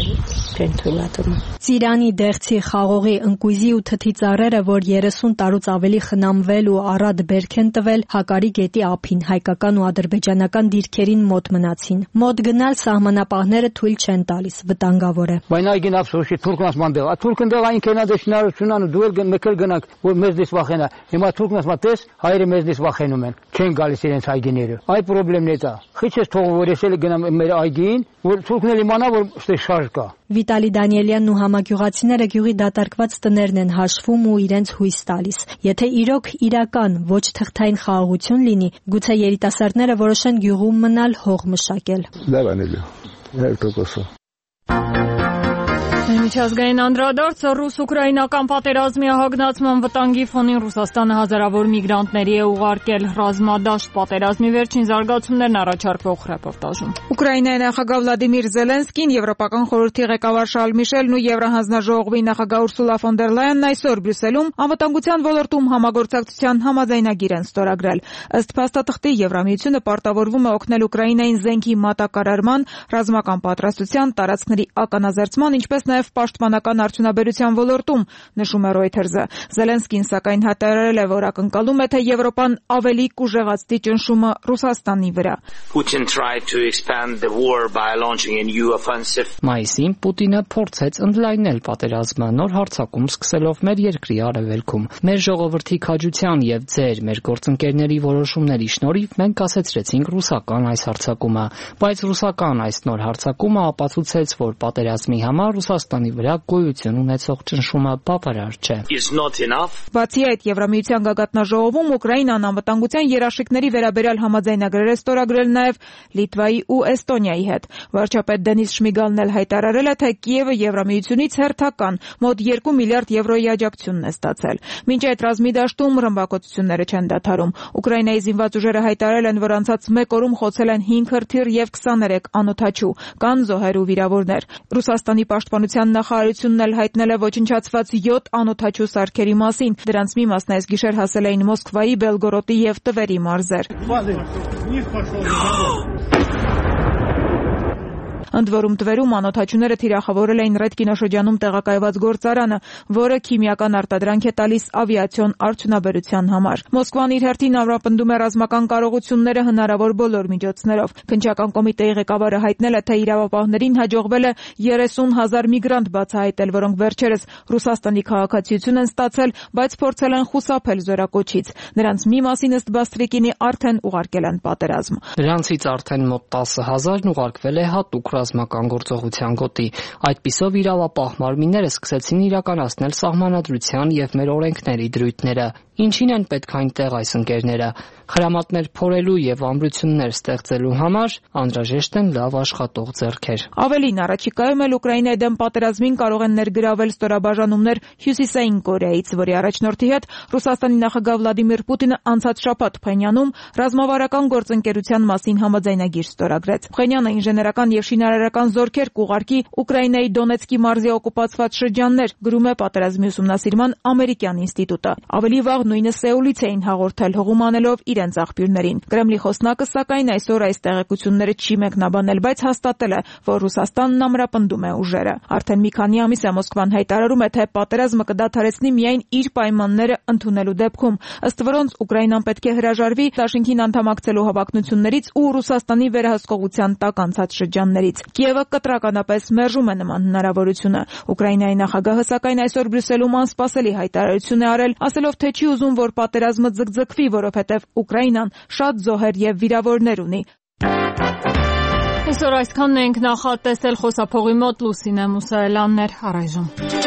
չեն թույլատրում։ Ծիրանի, Դեղցի, Խաղողի, Ընկույզի ու Թթի ծառերը, որ երեսուն տարուց ավելի խնամվել ու առատ բերք են տվել, Հակարի գետի ափին հայկական ու ադրբեջանական դիրքերին մոտ մնացին։ Մոտ գնալ սահմանապահները թույլ չեն տալիս, վտանգավոր է։ Բայց այգին ափսոշի թուրքնաս մանդել, ա թուրքն դեղ այն կենադեշնարությունան դու էլ մեկել գնաք, որ մեզ դես վախենա։ Հիմա թուրքնաս մատես, հայերը մեզ դես վախենում են, չեն գալիս իրենց այգիները։ Այ խնդրեմն է դա։ Խիչես թողում որ ես էլ գնամ մեր այգին, որ թուրքն էլ իմանա որ ստե շարժ կա։ Վիտալի Դանիելյանն ու համագյուղացիները գյուղի դատարկված տներն են հաշվում ու իրենց հույս տալիս։ Եթե իրոք իրական ոչ թղթային խաղաղություն լինի, գուցե երիտասարդները որոշեն գյուղում մնալ, հող մշակել։ Լավ անելու։ Հեր տոկոսը։ Միջազգային անդրադարձը ռուս-ուկրաինական պատերազմի հագնացման վտանգի ֆոնին Ռուսաստանը հազարավոր միգրանտների է ուղարկել ռազմադաշտ պատերազմի վերջին զարգացումներն առաջարկվող ռեպորտաժում։ Ուկրաինայի նախագահ Վլադիմիր Զելենսկին, Եվրոպական խորհրդի ղեկավար Շարլ Միշելն ու Եվրահանձնաժողովի նախագահ Ուրսուլա ֆոն դեր Լայանն այսօր Բրյուսելում անվտանգության ոլորտում համագործակցության համաձայնագիր են ստորագրել։ Ըստ փաստաթղթի Եվրամիությունը պարտավորվում է օգնել Ուկրաինային զենքի մատակարարման, ռազմական պատրաստության, տարածքների ականազերծման, ինչպես նաև պաշտպանական արդյունաբերության ոլորտում, նշում է Reuters-ը։ Զելենսկին սակայն հայտարարել է, որ ակնկալում է, թե Եվրոպան ավելի կուժեղացնի ճնշումը Ռուսաստանի վրա։ Մայիսին Պուտինը փորձեց ընդլայնել պատերազմը նոր հարձակում սկսելով մեր երկրի արևելքում։ Մեր ժողովրդի քաջության եւ ձեր մեր գործընկերների որոշումների շնորհիվ մենք կասեցրեցինք ռուսական այս հարձակումը, բայց ռուսական այս նոր հարձակումը ապացուցեց, որ պատերազմի համար Ռուսաստանը Ռուսաստանի վրա գոյություն ունեցող ճնշումը բավարար չէ։ Բացի այդ, Եվրամիության գագաթնաժողովում Ուկրաինան անվտանգության երաշխիքների վերաբերյալ համաձայնագրեր է ստորագրել նաև Լիտվայի ու Էստոնիայի հետ։ Վարչապետ Դենիս Շմիգալն էլ հայտարարել է, թե Կիևը Եվրամիությունից հերթական մոտ երկու միլիարդ եվրոյի աջակցությունն է ստացել։ Մինչ այդ ռազմի դաշտում ռմբակոծությունները չեն դադարում։ Ուկրաինայի զինված ուժերը հայտարարել են, որ անցած մեկ օրում խոցել են հինգ հրթիռ եւ քսաներեք անօդաչու, կան զոհեր ու վիրավորներ։ Ռուսաստանի պաշտպանության նախարարությունն էլ հայտնել է ոչնչացված յոթ անօդաչու սարքերի մասին։ Դրանց մի մասն այս գիշեր հասել էին Մոսկվայի, Բելգորոդի եւ Տվերի մարզեր։ Ընդ որում Տվերում անօդաչուները թիրախավորել էին Ռեդ կինոշրջանում տեղակայված գործարանը, որը քիմիական արտադրանք է տալիս ավիացիոն արդյունաբերության համար։ Մոսկվան իր հերթին ամրապնդում է ռազմական կարողությունները հնարավոր բոլոր միջոցներով։ Քննչական կոմիտեի ղեկավարը հայտնել է, թե իրավապահներին հաջողվել է երեսուն հազար միգրանտ բացահայտել, որոնք վերջերս Ռուսաստանի քաղաքացիություն են ստացել, բայց փորձել են խուսափել զորակոչից։ Նրանց մի մասին ըստ Բաստրիկինի արդեն ուղարկել են պատերազմ։ Նրանցից արդեն մոտ տասը հազարն ուղարկվել է հատուկ ռազմական գործողության գոտի։ Այդպիսով իրավապահ մարմինները սկսեցին իրականացնել սահմանադրության եւ մեր օրենքների դրույթները։ Ինչին են պետք այնտեղ այս ընկերները։ Խրամատներ փորելու եւ ամրություններ ստեղծելու համար անհրաժեշտ են լավ աշխատող ձեռքեր։ Ավելին, առաջիկայում էլ Ուկրաինայի դեմ պատերազմին կարող են ներգրավել ստորաբաժանումներ Հյուսիսային Կորեայից, որի առաջնորդի հետ Ռուսաստանի նախագահ Վլադիմիր Պուտինը անցած շաբաթ Փխենյանում ռազմավարական գործընկերության մասին համաձայնագիր ստորագրեց։ Փխենյանը ինժեներական եւ շինարարական զորքեր կուղարկի Ուկրաինայի Դոնեցկի մարզի օկուպացված շրջաններ, գրում է պատերազմի ուսումնասիրման ամերիկյան ինստիտուտը։ Ավելի վաղ նույնը Սեուլից էին հաղորդել, հողում անելով իրենց աղբյուրներին։ Կրեմլի խոսնակը սակայն այսօր այս տեղեկությունները չի մեկնաբանել, բայց հաստատել է, որ Ռուսաստանն ամրապնդում է ուժերը։ Արդեն մի քանի ամիս է Մոսկվան հայտարարում է, թե պատերազմը կդադարեցնի միայն իր պայմանները ընդունելու դեպքում, ըստ որոնց Ուկրաինան պետք է հրաժարվի Դաշինքին անդամակցելու հավակնություններից ու Ռուսաստանի վերահսկողության տակ անցած շրջաններից։ Կիևը կտրականապես մերժում է նման հնարավորությունը։ Ուկրաինայի նախագահը սակայն այսօր Բրյուսելում անսպասելի հայտարարություն է արել, ասելով, թե չի ուզում, որ պատերազմը ձգձգվի, որովհետև Ուկրաինան շատ զոհեր եւ վիրավորներ ունի։ Այսօր այսքանն ենք նախատեսել, խոսափողի մոտ Լուսինե Մուսայելյանն էր, առայժմ։